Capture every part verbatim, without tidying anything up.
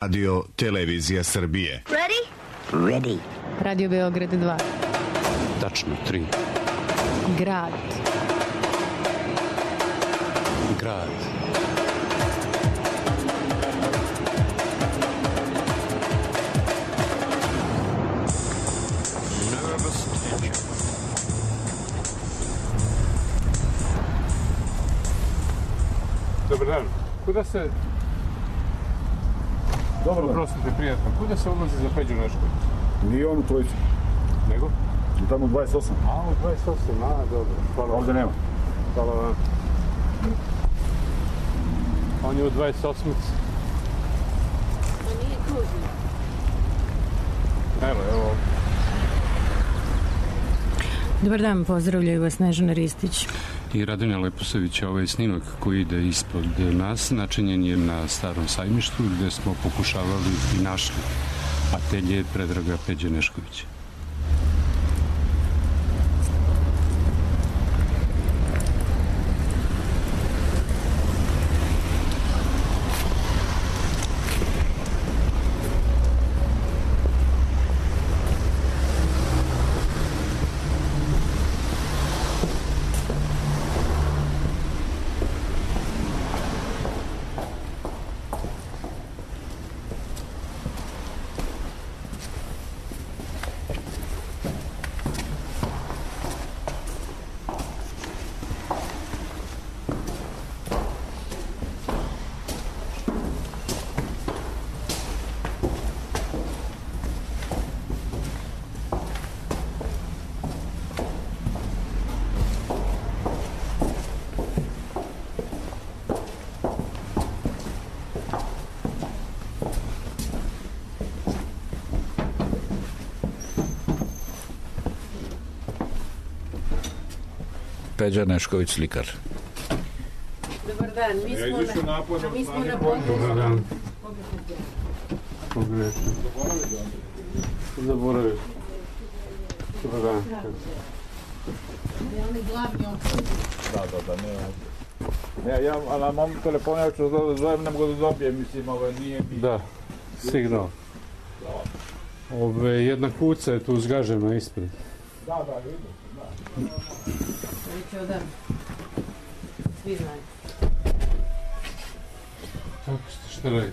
Radio Televizija Srbije. Ready? Ready. Radio Beograd dva. Tačno tri. Grad. Grad. Nervous tension. Dobar dan. Kuda se... Dobar dan. Prostite, prijatno. Kuda se odlazi za Peđu Nešković? Nije on u trojicu. Nego? Tamo u dvadeset osam. A, u dvadeset osam, a, dobro. Hvala. Ovdje nema. Hvala vam. On je u dvadeset osam. To nije tužno. Evo, evo. Dobar dan, pozdravljaju vas Snežana Ristić I Radonja Leposavić. Ovaj snimak koji ide ispod nas načinjen je na Starom sajmištu gde smo pokušavali i našli atelje Predraga Peđe Neškovića. Peđa Nešković, slikar. Dobar dan, mi smo na, a mi smo na području. Dobar dan. Pogrešno. Zaboravio. Dobar dan. Je oni glavni okruži? Da, da, da, ne. Ne, ja na mom telefonu ja ću da zovem, ne mogu da dobijem, mislim, ovo nije mi... Da, signal. Ove, jedna kuca je tu zgažena ispred. Da, da, vidim, da. Reći odam. Svi znaju. Kako ste, šta radite?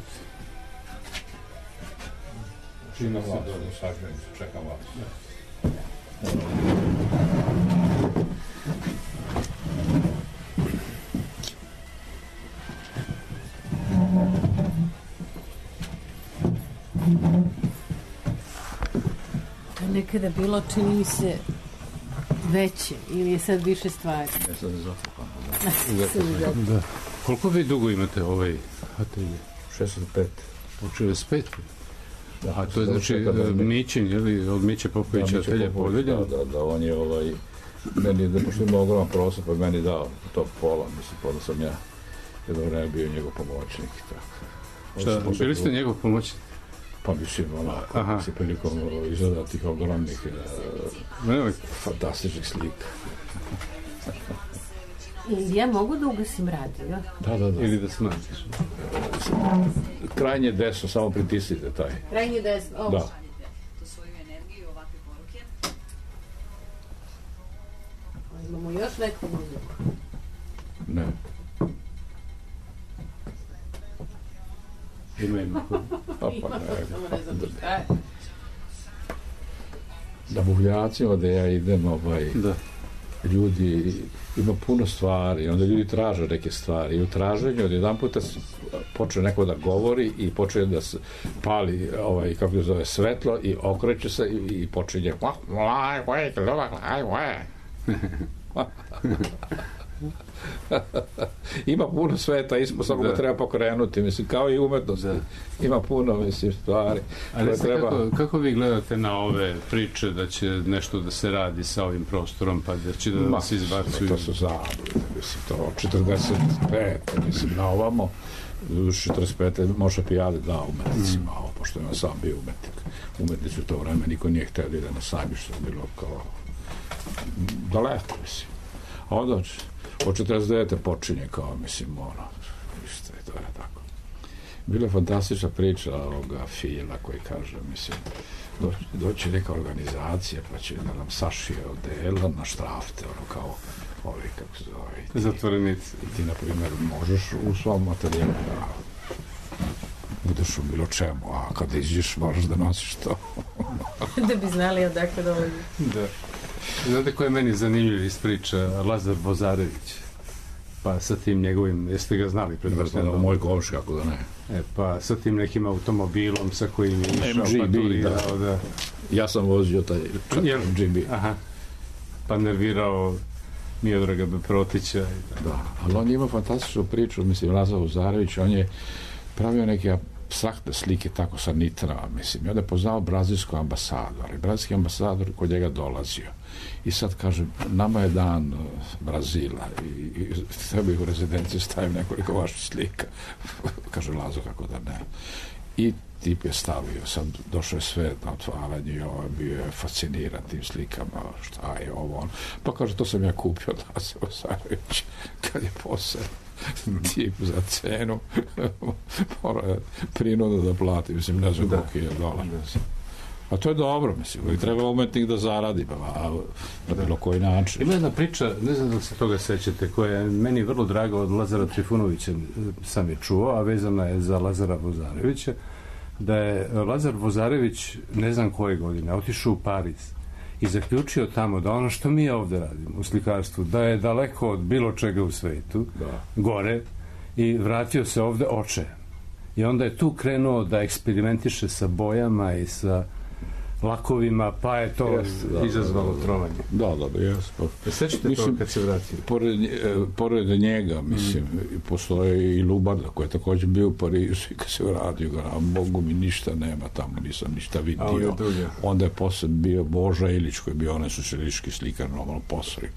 Čini se dobro. Sažem se, čekam vas. To je nekada bilo, čini mi se, veće ili je sad više stvari? Ne, sad je zafukan. Da. Koliko vi dugo imate ovaj atelje? šezdeset pet. Od šezdeset pet? Da, A to je znači Mićin, je li, od Miće Popovića atelje Podelja? Da, da, da, on je ovaj, meni, da pošto ima ogroman prostor, pa meni dao to pola, mislim, pa da sam ja jedno vreme bio njegov pomoćnik i tako. Šta, bili ste njegov pomoćnik? Pa mislim, onako, se prilikom izgleda tih ogromnih, uh, fantastičnih slika. I ja mogu da ugasim radio? Da, da, da. Ili da smatiš? Krajnje desno, samo pritisnite taj. Krajnje desno, ovo. Da. To svoju energiju, ovakve poruke. Imamo još neku muziku. Ne. Ima ima. Pa, pa, ne. Samo ne znam šta je. Da buvljacima da ja idem, ovaj, Da. ljudi, ima puno stvari, onda ljudi traže neke stvari i u traženju od jedan puta počne neko da govori i počne da se pali, ovaj, kako se zove, svetlo i okreće se i, i počinje ima puno sveta ispod, samo ga treba pokrenuti, mislim, kao i umetnosti. Ima puno, mislim, stvari. Ali treba... kako, kako vi gledate na ove priče da će nešto da se radi sa ovim prostorom, pa da će da Ma, se izbacuju? To su zablude, mislim, to četrdeset pet, mislim, na ovamo, četrdeset pet može pijade da umetnicima, mm. ovo, pošto je sam bio umetnik. Umetnici u to vreme, niko nije htio da ide na sajmište, bilo kao daleko, mislim. A onda od četrdeset devete počinje kao, mislim, ono, isto je, to je tako. Bila je fantastična priča ovoga Fila koji kaže, mislim, do, doći neka organizacija pa će da nam sašije odela na štrafte, ono kao ovi, kako se zove. Zatvorenici. I ti, na primjer, možeš u svom materijalu da budeš u bilo čemu, a kad iđeš moraš da nosiš to. Da bi znali odakle dolazi. Da. Znate ko je meni zanimljiv iz priča? Lazar Vozarević. Pa sa tim njegovim, jeste ga znali? Pretpostavljam, moj komš, kako da ne. E, pa sa tim nekim automobilom sa kojim je išao, M G B, pa turirao, da. da. Ja sam vozio taj Jel? M G B. Aha. Pa nervirao Miodraga Protića. Da, ali on je imao fantastičnu priču, mislim, Lazar Vozarević, on je pravio neke apstraktne slike tako sa nitrama, mislim, i onda je poznao brazilsku ambasadu, ali brazilski ambasador kod njega dolazio. I sad kaže, nama je dan uh, Brazila i, i tebi u rezidenciju stavim nekoliko vaših slika. Kaže Lazo, kako da ne. I tip je stavio, sad došao je sve na otvaranje i ovo bio je fasciniran tim slikama, šta je ovo on. Pa kaže, to sam ja kupio od Lazara Vozarevića kad je posao tip za cenu mora prinuda da plati, mislim, ne znam koliko je dolar. A to je dobro, mislim, i treba umetnik da zaradi, a na bilo koji način. Ima jedna priča, ne znam da se toga sećate, koja je meni vrlo draga od Lazara Trifunovića, sam je čuo, a vezana je za Lazara Vozarevića, da je Lazar Vozarević, ne znam koje godine, otišao u Pariz i zaključio tamo da ono što mi ovde radimo u slikarstvu, da je daleko od bilo čega u svetu, da. Gore, i vratio se ovde očajan. I onda je tu krenuo da eksperimentiše sa bojama i sa lakovima, pa je to yes, da, izazvalo da, da, trovanje. Da, da, da, jes. Pa, sećate to kad se vratio? Pored, pored njega, mislim, mm. postoje i Lubarda, koji je također bio u Parizu i kad se vratio, a Bogu mi ništa nema tamo, nisam ništa vidio. Onda je posle bio Boža Ilić, koji je bio onaj socijalistički slikar, normalno posori.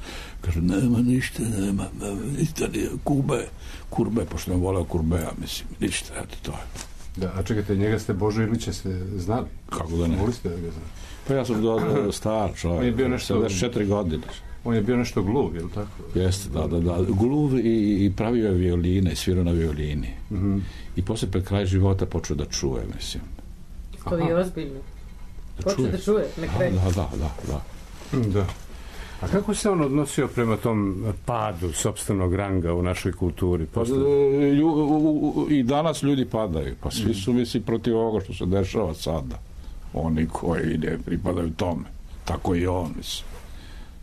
Kaže, nema ništa, nema, nema ništa, nije, Kube, Kurbe, pošto ne voleo Kurbeja, mislim, ništa, eto, to je. Da, a čekajte, njega ste Božo Ilića ste znali? Kako da ne? Mogli ste da ga znali? Pa ja sam do star čovjek. On je bio nešto... sedamdeset četiri godine. On je bio nešto gluv, je li tako? Jeste, da, da, da. Gluv i, i pravio je violine, i svirao na violini. Mm-hmm. I posle pred kraj života počeo da čuje, mislim. To je ozbiljno. Počeo da čuje, na kraju. Da, da, da, da. Da. A kako se on odnosio prema tom padu sopstvenog ranga u našoj kulturi? Pa, i danas ljudi padaju. Pa svi su, misli, protiv ovoga što se dešava sada. Oni koji ne pripadaju tome. Tako i on, mislim.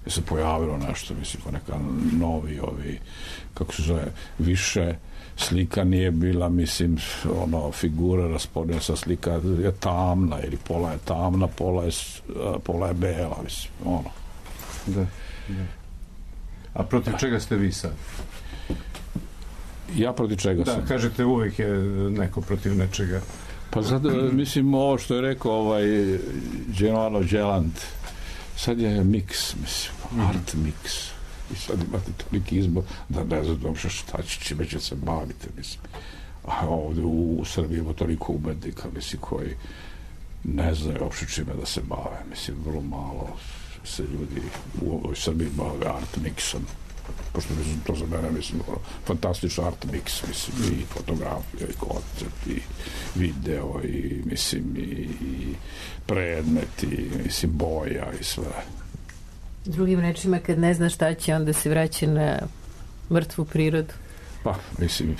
Je se pojavilo nešto, mislim, pa neka novi, ovi, kako se zove, više slika nije bila, mislim, ono, figura raspodnja sa slika je tamna, ili pola je tamna, pola je, pola je bela, mislim, ono. Da, da. A protiv da. Čega ste vi sad? Ja protiv čega da, sam? Da, kažete uvijek je neko protiv nečega. Pa sad, mislim, ovo što je rekao ovaj Genovano Đelant, sad je miks, mislim, mm-hmm. art miks. I sad imate toliki izbor da ne znam šta će, čime će se baviti, mislim. A ovdje u, u Srbiji ima toliko umetnika, mislim, koji ne znaju uopšte čime da se bave, mislim, vrlo malo se ljudi u ovoj Srbiji bave art mixom, pošto mislim, to za mene, mislim, fantastičan art mix, mislim, i fotografija, i koncept, i video, i, mislim, i, i predmet, i, mislim, boja, i sve. Drugim rečima, kad ne zna šta će, onda se vraća na mrtvu prirodu. Pa, mislim,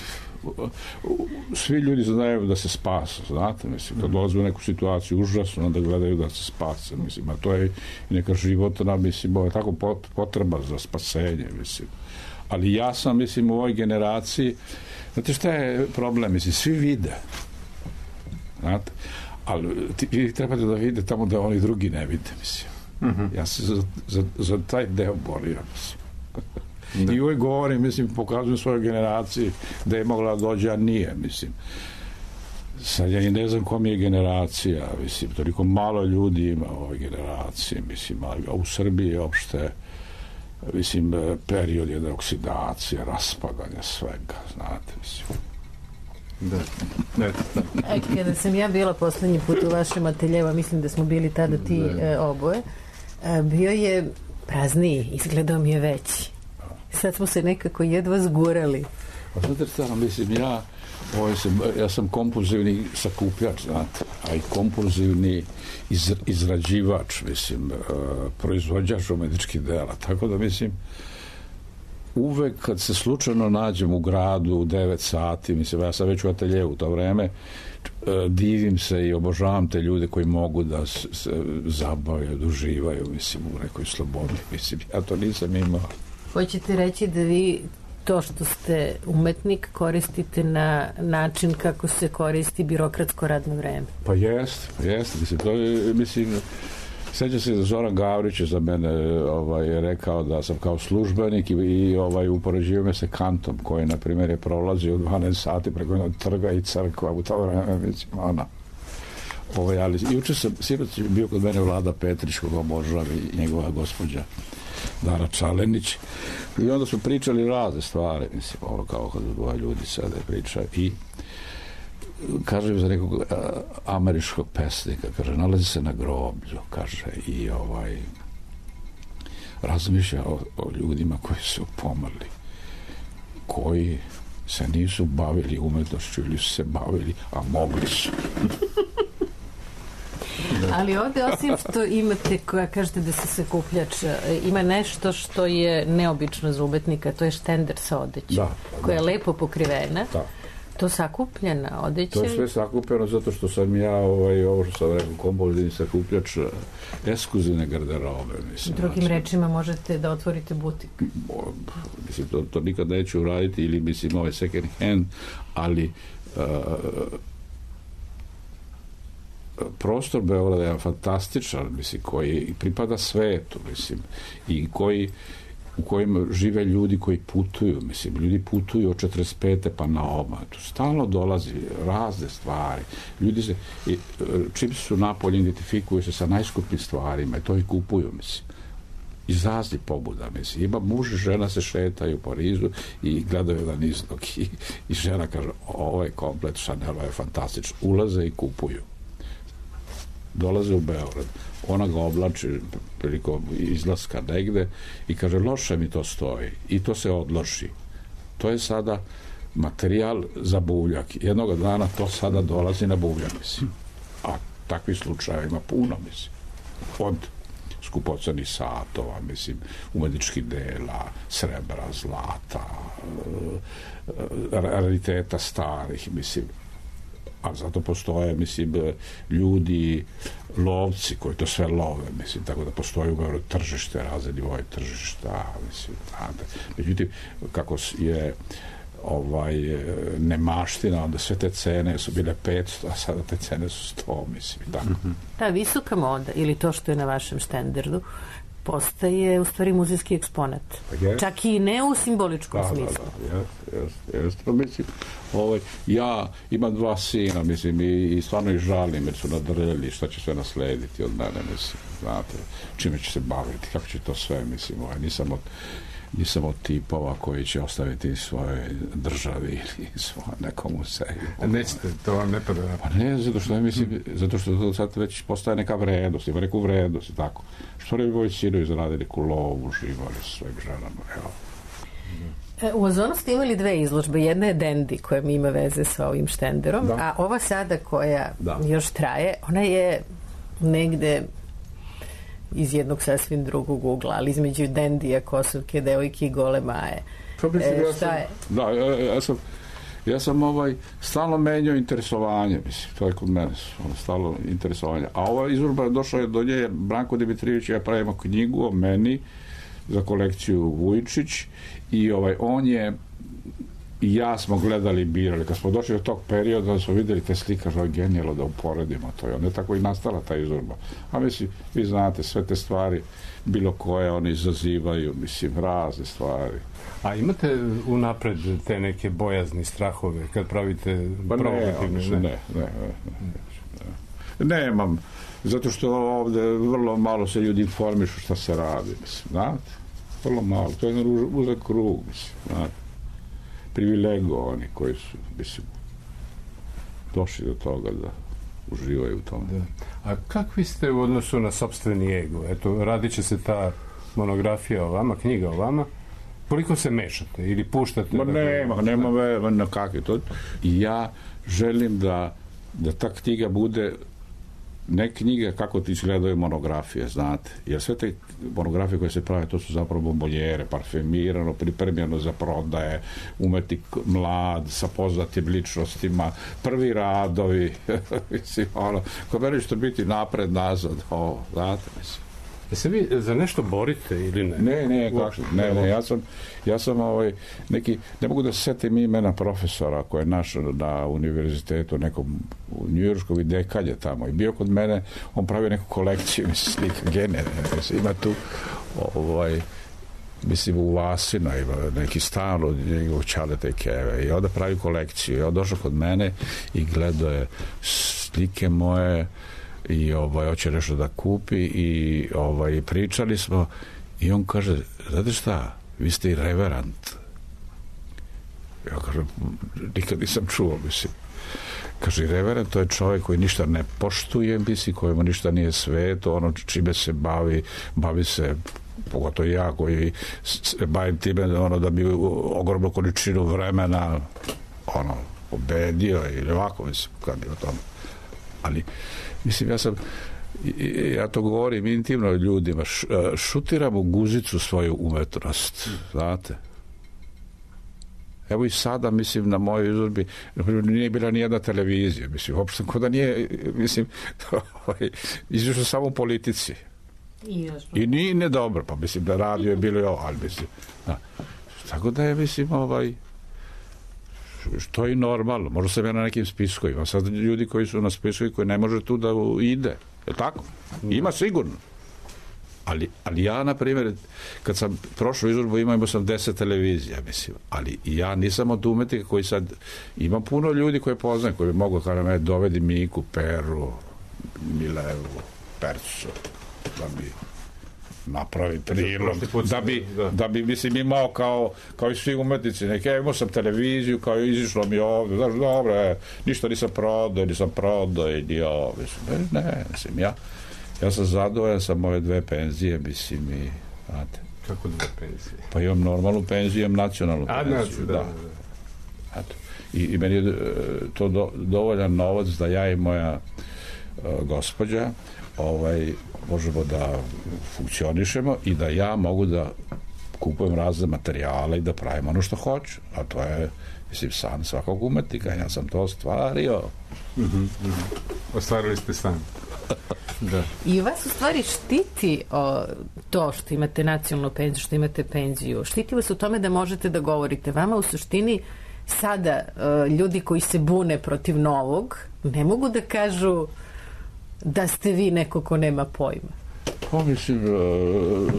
svi ljudi znaju da se spasu, znate, mislim, kad dolaze u neku situaciju užasno, onda gledaju da se spase, mislim, a to je neka životna, mislim, ovo je tako potreba za spasenje, mislim. Ali ja sam, mislim, u ovoj generaciji, znate šta je problem, mislim, svi vide, znate, ali ti, vi trebate da vide tamo da oni drugi ne vide, mislim. Mm-hmm. Ja se za, za, za taj deo borio, mislim. Da. I uvijek govorim, mislim, pokazujem svojoj generaciji da je mogla dođe, a nije, mislim. Sad ja i ne znam kom je generacija, mislim, toliko malo ljudi ima u ovoj generaciji, mislim, a u Srbiji je opšte, mislim, period jedne oksidacije, raspadanja svega, znate, mislim. Da. Ne, da. E, kada sam ja bila poslednji put u vašem ateljevu, mislim da smo bili tada ti e, oboje, e, bio je prazniji, izgledao mi je veći. Sad smo se nekako jedva zgurali. A znate šta, mislim, ja Ovo sam, ja sam kompulzivni sakupljač, znate, a i kompulzivni iz, izrađivač, mislim, uh, proizvođač umetničkih dela. Tako da, mislim, uvek kad se slučajno nađem u gradu u devet sati, mislim, ja sam već u ateljevu u to vreme, divim se i obožavam te ljude koji mogu da se zabavaju, da uživaju, mislim, u nekoj slobodi. Mislim, ja to nisam imao. Hoćete reći da vi to što ste umetnik koristite na način kako se koristi birokratsko radno vreme? Pa jest, jest. Mislim, to je, mislim, sećam se da Zoran Gavrić za mene ovaj, rekao da sam kao službenik i, i ovaj, upoređivao me se Kantom, koji, na primjer, je prolazio u dvanaest sati preko jednog trga i crkva u to vreme, mislim, ona. Ovaj, ali, juče sam, sinoć je bio kod mene Vlada Petrić, koga obožavam, i njegova gospođa Dara Čalenić, i onda su pričali razne stvari, mislim, ovo kao kad dva ljudi sada pričaju, i kaže za nekog a, američkog pesnika, kaže, nalazi se na groblju, kaže, i ovaj razmišlja o, o ljudima koji su pomrli, koji se nisu bavili umetnošću ili su se bavili, a mogli su. Ali ovde, osim što imate, koja kažete da se sakupljač, ima nešto što je neobično za umetnika, to je štender sa odećem, da, koja da. je lepo pokrivena. Da. To sakupljena odeća? To je sve sakupljeno zato što sam ja, ovaj, ovo što sam rekao, kompulzivni sakupljač ekskluzivne garderobe. Mislim, drugim znači, rečima možete da otvorite butik. Mislim, to, to nikad neću uraditi, ili mislim ovaj second hand, ali uh, prostor Beograda je fantastičan, mislim, koji pripada svetu, mislim, i koji u kojima žive ljudi koji putuju, mislim, ljudi putuju od četrdeset pete pa na ovamo. Tu stalno dolazi razne stvari. Ljudi se, i, čim su napolje, identifikuju se sa najskupljim stvarima i to i kupuju, mislim. Iz raznih pobuda, mislim. Ima muž i žena se šetaju u Parizu i gledaju jedan izlog i, i žena kaže, ovo je komplet Chanel, je fantastično. Ulaze i kupuju. Dolaze u Beograd. Ona ga oblači prilikom izlaska negde i kaže, loše mi to stoji. I to se odloži. To je sada materijal za buvljak. Jednog dana to sada dolazi na buvljak, mislim. A takvih slučaja ima puno, mislim. Od skupocenih satova, mislim, umetničkih dela, srebra, zlata, rariteta starih, mislim. A zato postoje, mislim, ljudi, lovci koji to sve love, mislim, tako da postoji u tržište, razne nivoje tržišta, mislim, znate. Međutim, kako je ovaj, nemaština, onda sve te cene su bile petsto, a sada te cene su sto, mislim, i tako. Ta visoka moda, ili to što je na vašem štenderdu, postaje u stvari muzejski eksponat. Yes. Čak i ne u simboličkom da, smislu. Da, da, jes, jes, jes. Mislim, ovaj, ja imam dva sina, mislim, i, i stvarno ih žalim, jer su nadrljali šta će sve naslediti od mene, mislim, znate, čime će se baviti, kako će to sve, mislim, ovaj, nisam od nisam od tipova koji će ostaviti svoje državi ili svoje nekom muzeju. Nećete, to vam ne pada. Pa ne, zato što, mislim, zato što to sad već postaje neka vrednost, ima neku vrednost i tako. Što ne bi moji sinovi zaradili neku lovu, živali s svojim ženama, evo. U Ozonu ste imali dve izložbe. Jedna je Dandy, koja mi ima veze sa ovim štenderom, da. A ova sada koja da. još traje, ona je negde iz jednog sasvim drugog ugla, ali između Dandija, Kosovke, devojke i Gole Maje. Pa mislim, e, ja šta sam, je? Da, ja, ja sam ja sam ovaj stalno menjao interesovanje, mislim, to je kod mene stalno interesovanje. A ova izložba došla je do nje, Branko Dimitrijević, ja pravimo knjigu o meni za kolekciju Vujčić i ovaj, on je i ja smo gledali i birali. Kad smo došli do tog perioda, da smo vidjeli te slika, što je genijalo da uporedimo to. I onda je tako i nastala ta izložba. A mislim, vi znate, sve te stvari, bilo koje, oni izazivaju, mislim, razne stvari. A imate unapred te neke bojazni strahove kad pravite provokativne? Ne, ne, ne, ne. Nemam, zato što ovde vrlo malo se ljudi informišu šta se radi, mislim, znate? Vrlo malo, to je jedan uzak krug, mislim, znate? Privilegovani koji su, mislim, došli do toga da uživaju u tome. Da. A kakvi ste u odnosu na sopstveni ego? Eto, radit će se ta monografija o vama, knjiga o vama. Koliko se mešate ili puštate? Ma nema, nema ve, na kakvi to. I ja želim da, da ta knjiga bude ne knjiga kako ti izgledaju monografije, znate. Jer sve te monografije koje se prave, to su zapravo bomboljere, parfemirano, pripremljeno za prodaje, umetnik mlad, sa poznatim ličnostima, prvi radovi, mislim, ono, ko meni što biti napred, nazad, o, znate, mislim. Se vi za nešto borite ili ne? Ne, ne, kako, ne, ne, ja sam, ja sam ovaj, neki, ne mogu da se setim imena profesora koji je naš na univerzitetu nekom u Njujorskoj dekalje tamo i bio kod mene, on pravi neku kolekciju, mislim, slika, gene, mislim, ima tu ovaj, mislim, u Vasino ima neki stan od njegovog Čaleta i Keve i onda pravi kolekciju i on došao kod mene i gledao je slike moje i ovaj, hoće nešto da kupi i ovaj, pričali smo i on kaže, znate šta, vi ste i reverend. Ja kažem, nikad nisam čuo, mislim. Kaže, reverend, to je čovjek koji ništa ne poštuje, mislim, kojemu ništa nije sveto, ono čime se bavi, bavi se, pogotovo ja koji se bavim time, ono, da bi ogromnu količinu vremena ono, pobedio ili ovako, mislim, kad je o tome. Ali, mislim, ja sam, ja to govorim intimno ljudima, šutiram u guzicu svoju umetnost, znate. Evo i sada, mislim, na mojoj izložbi nije bila nijedna televizija, mislim, uopšte kod da nije, mislim, izvišao samo u politici. I, I nije ne dobro, pa mislim da radio je bilo i ovo, ali mislim, da. Tako da je, mislim, ovaj, što je normalno, možda sam ja na nekim spiskovima, sad ljudi koji su na spiskovima koji ne može tu da ide, je tako? Ima sigurno. Ali, ali ja, na primjer, kad sam prošao izložbu, imao sam deset televizija, mislim, ali ja nisam od umetnika koji sad, ima puno ljudi koje poznaju, koji bi mogu, kada me dovedi Miku, Peru, Milevu, Percu, da bi napravi prilog, da bi, da bi, mislim, imao kao, kao i svi umetnici, neke, imao sam televiziju, kao izišlo mi ovdje, znaš, dobro, je, ništa nisam prodao, nisam prodao, i nije ovo, mislim, ne, ne, mislim, ja, ja sam zadovoljan sa moje dve penzije, mislim, i, znate. Kako dve penzije? Pa imam normalnu penziju, imam nacionalnu penziju, A, da, da, da. Eto. I, i meni je to do, dovoljan novac da ja i moja uh, gospođa, ovaj, možemo da funkcionišemo i da ja mogu da kupujem razne materijale i da pravim ono što hoću. A to je, mislim, san svakog umetnika. Ja sam to ostvario. Mm-hmm, mm-hmm. Ostvarili ste san. Da. I vas u stvari štiti o, to što imate nacionalnu penziju, što imate penziju. Štiti vas u tome da možete da govorite. Vama u suštini sada uh, ljudi koji se bune protiv novog ne mogu da kažu da ste vi neko ko nema pojma. Pa mislim, uh,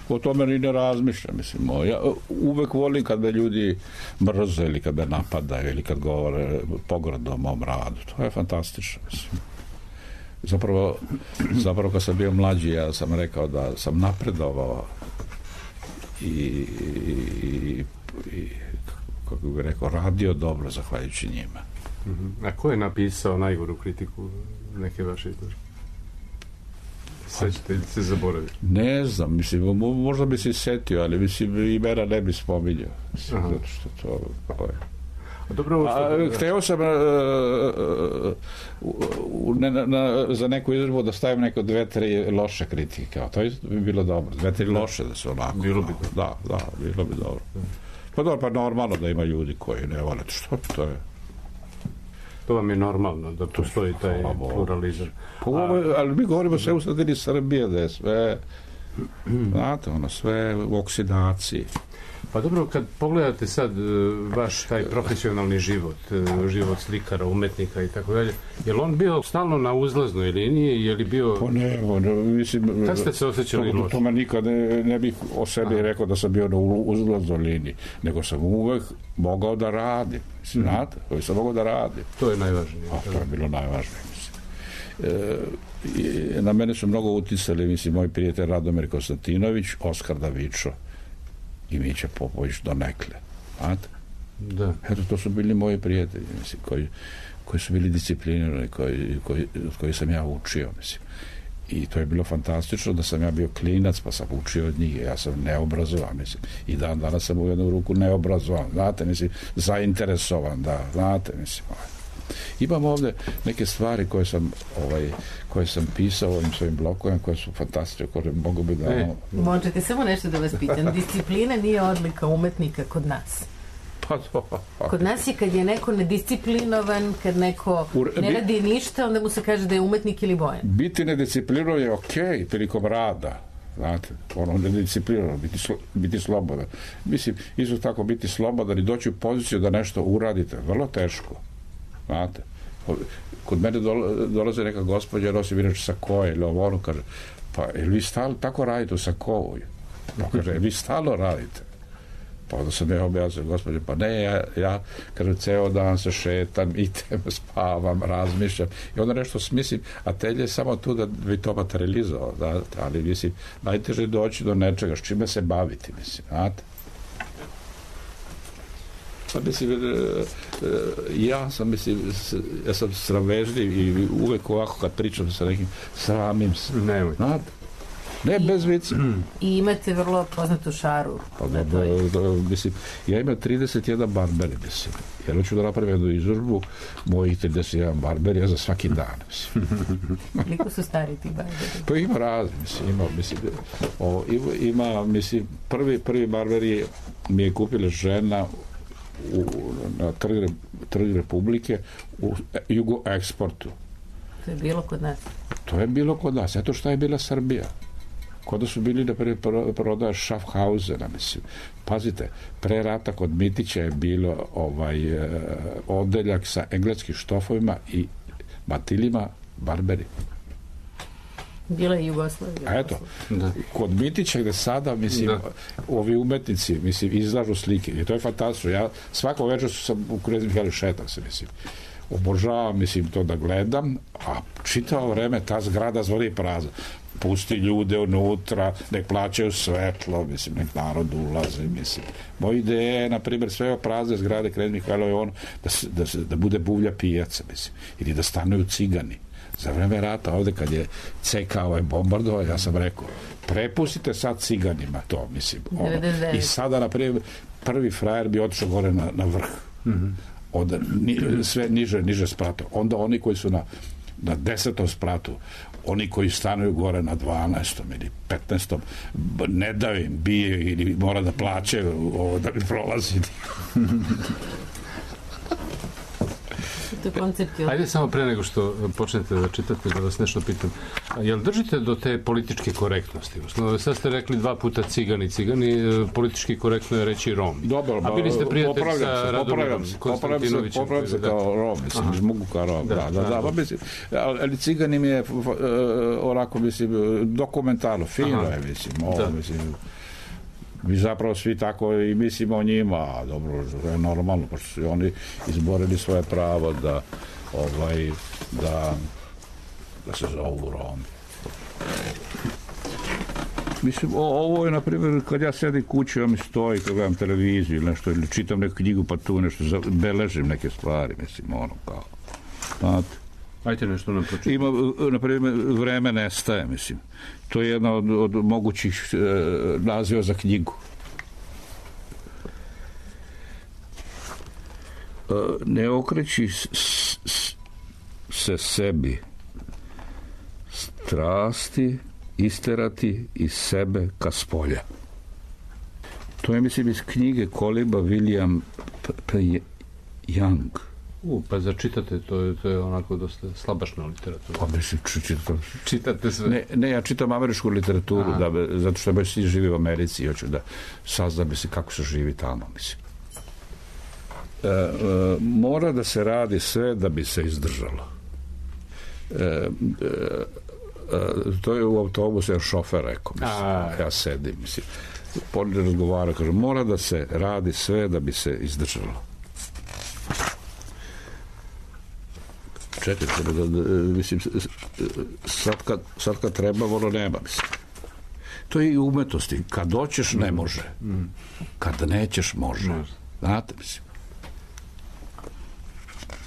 o tome ni ne razmišljam, mislim. Ja uvek volim kad me ljudi mrze ili kad me napadaju ili kad govore pogrdno o mom radu. To je fantastično, mislim. Zapravo, zapravo kad sam bio mlađi, ja sam rekao da sam napredovao i, i, i kako bih rekao, radio dobro zahvaljujući njima. A ko je napisao najgoru kritiku neke vaše izložbe? Sećate li se zaboraviti? Ne znam, mislim, možda bi se setio, ali mislim, imena ne bi spominjao. Zato što to... to je. A dobro, a, hteo sam uh, uh, ne, na, na, za neku izložbu da stavim neko dve, tri loše kritike. To bi bilo dobro. Dve, tri loše da se onako... Bilo bi dobro. Da, da, bilo bi dobro. Pa dobro, pa normalno da ima ljudi koji ne vole. Što to je? To vam je normalno, da postoji taj pluralizam. Pa, a, ali mi govorimo sve u sredini Srbije, da je sve, znate, ono, sve u oksidaciji. Pa dobro, kad pogledate sad vaš taj profesionalni život, život slikara, umetnika i tako dalje, je li on bio stalno na uzlaznoj liniji, je li bio... Pa ne, ne mislim... Kako ste se osjećali loše? To, to me nikad ne, ne bih o sebi rekao da sam bio na uzlaznoj liniji, nego sam uvek mogao da radim, mislim, znate, uvek sam mogao da radim. To je najvažnije. A, to je bilo najvažnije, mislim. E, na mene su mnogo uticali, mislim, moj prijatelj Radomir Konstantinović, Oskar Davičo i Mića Popović do nekle. Znate? Da. Eto, to su bili moji prijatelji, mislim, koji, koji su bili disciplinirani, koji, koji, koji sam ja učio, mislim. I to je bilo fantastično da sam ja bio klinac, pa sam učio od njih. Ja sam neobrazovan, mislim. I dan danas sam u jednu ruku neobrazovan, znate, mislim, zainteresovan, da, znate, mislim. Imam ovde neke stvari koje sam, ovaj, koje sam pisao ovim svojim blokovima, koje su fantastične, koje mogu bi da... E. Možete samo nešto da vas pitam. Disciplina nije odlika umetnika kod nas. Pa to, okay. Kod nas je kad je neko nedisciplinovan, kad neko ne radi ništa, onda mu se kaže da je umetnik ili bojan. Biti nedisciplinovan je okej okay, prilikom rada. Znate, ono, nedisciplinovan, biti, slo, biti slobodan. Mislim, isto tako biti slobodan i doći u poziciju da nešto uradite. Vrlo teško. Znate, kod mene dolaze neka gospođa, nosi inače sako ili ovo, ono kaže, pa jel vi stalno tako radite u sakovu? Pa kaže, vi stalno radite. Pa onda sam ja objasnio, gospođe, pa ne, ja, ja kaže, ceo dan se šetam, idem, spavam, razmišljam i onda nešto smislim, a telje je samo tu da bi to materializovao, da, ali mislim, najteže je doći do nečega, s čime se baviti, mislim, znate. Pa mislim, ja sam, mislim, ja sam sramežljiv i uvek ovako kad pričam sa nekim, sramim se, nemoj, znate. Ne, bez vica. I imate vrlo poznatu šaru. Pa da, da, da, mislim, ja imam trideset jedan barberi, mislim. Jer hoću da napravim jednu izložbu mojih trideset jedan barberija za svaki dan, mislim. Koliko su stari ti barberi? Pa ima razni, mislim, ima, mislim, o, ima, mislim, prvi, prvi barberi mi je kupila žena u, na trg, trg Republike u Jugo Eksportu. To je bilo kod nas? To je bilo kod nas. Eto šta je bila Srbija. Kod da su bili da prvi prodaje Schaffhausena, mislim. Pazite, pre rata kod Mitića je bilo ovaj, odeljak sa engleskim štofovima i batilima barberi. Bila je Jugoslavija. A eto, da. Kod Mitića gde sada, mislim, da. Ovi umetnici, mislim, izlažu slike. I to je fantastično. Ja svako večer sam u Knez Mihajlo šetam se, mislim. Obožavam, mislim, to da gledam, a čitavo vreme ta zgrada zvoni prazna. Pusti ljude unutra, nek plaćaju svetlo, mislim, nek narod ulaze, mislim. Moja ideja je, na primjer, sve prazne zgrade Knez Mihajlo je ono da, se, da, se, da bude buvlja pijaca, mislim, ili da stanuju cigani. Za vreme rata, ovde kad je C K ovaj bombardovao, ja sam rekao, prepustite sad ciganima to, mislim. Ono. I sada, na primjer, prvi frajer bi otišao gore na, na vrh. Mm-hmm. Od, ni, sve niže, niže spratu. Onda oni koji su na, na desetom spratu, oni koji stanuju gore na dvanaestom ili petnaestom, ne daju im, bije ili mora da plaćaju ovo da bi prolazili. Ajde samo pre nego što počnete da čitate, da vas nešto pitam. Jel držite do te političke korektnosti? Sad ste rekli dva puta cigani, cigani, politički korektno je reći Rom. Dobro, a bili ste prijatelj sa Radomom Konstantinovićem. Popravljam se kao Rom, mislim, iz mogu kao Rom. Da, da, da, mislim, ali cigani mi je onako, mislim, dokumentarno, fino je, mislim, ovo, mislim, mi zapravo svi tako i mislimo o njima, a dobro, je normalno, pošto su oni izborili svoje pravo da, ovaj, da, da se zovu Romi. Mislim, o, ovo je, na primjer, kad ja sedim kući, ja mi stoji, kad gledam televiziju ili nešto, ili čitam neku knjigu, pa tu nešto, beležim neke stvari, mislim, ono, kao, znate. Ajte nešto nam pročitati. Ima, na primjer, vreme nestaje, mislim. To je jedna od, od mogućih e, naziva za knjigu. E, ne okreći s, s, se sebi strasti isterati iz sebe ka spolja. To je, mislim, iz knjige Koliba William P. P. Young. U, pa začitate, to je, to je onako dosta slabašna literatura. Pa mislim, čitam. Čitate sve? Ne, ne, ja čitam američku literaturu, da, zato što baš svi živi u Americi i hoću da saznam, mislim, kako se živi tamo, mislim. E, e, mora da se radi sve da bi se izdržalo. E, e, e, to je u autobusu, jer šofer rekao, mislim, A, ja sedim, mislim. Poli razgovara, kaže, mora da se radi sve da bi se izdržalo. Čekajte, da, da, mislim, sad kad, sad kad treba, ono nema, mislim. To je i umetnosti. Kad hoćeš, ne može. Kad nećeš, može. Znate, mislim.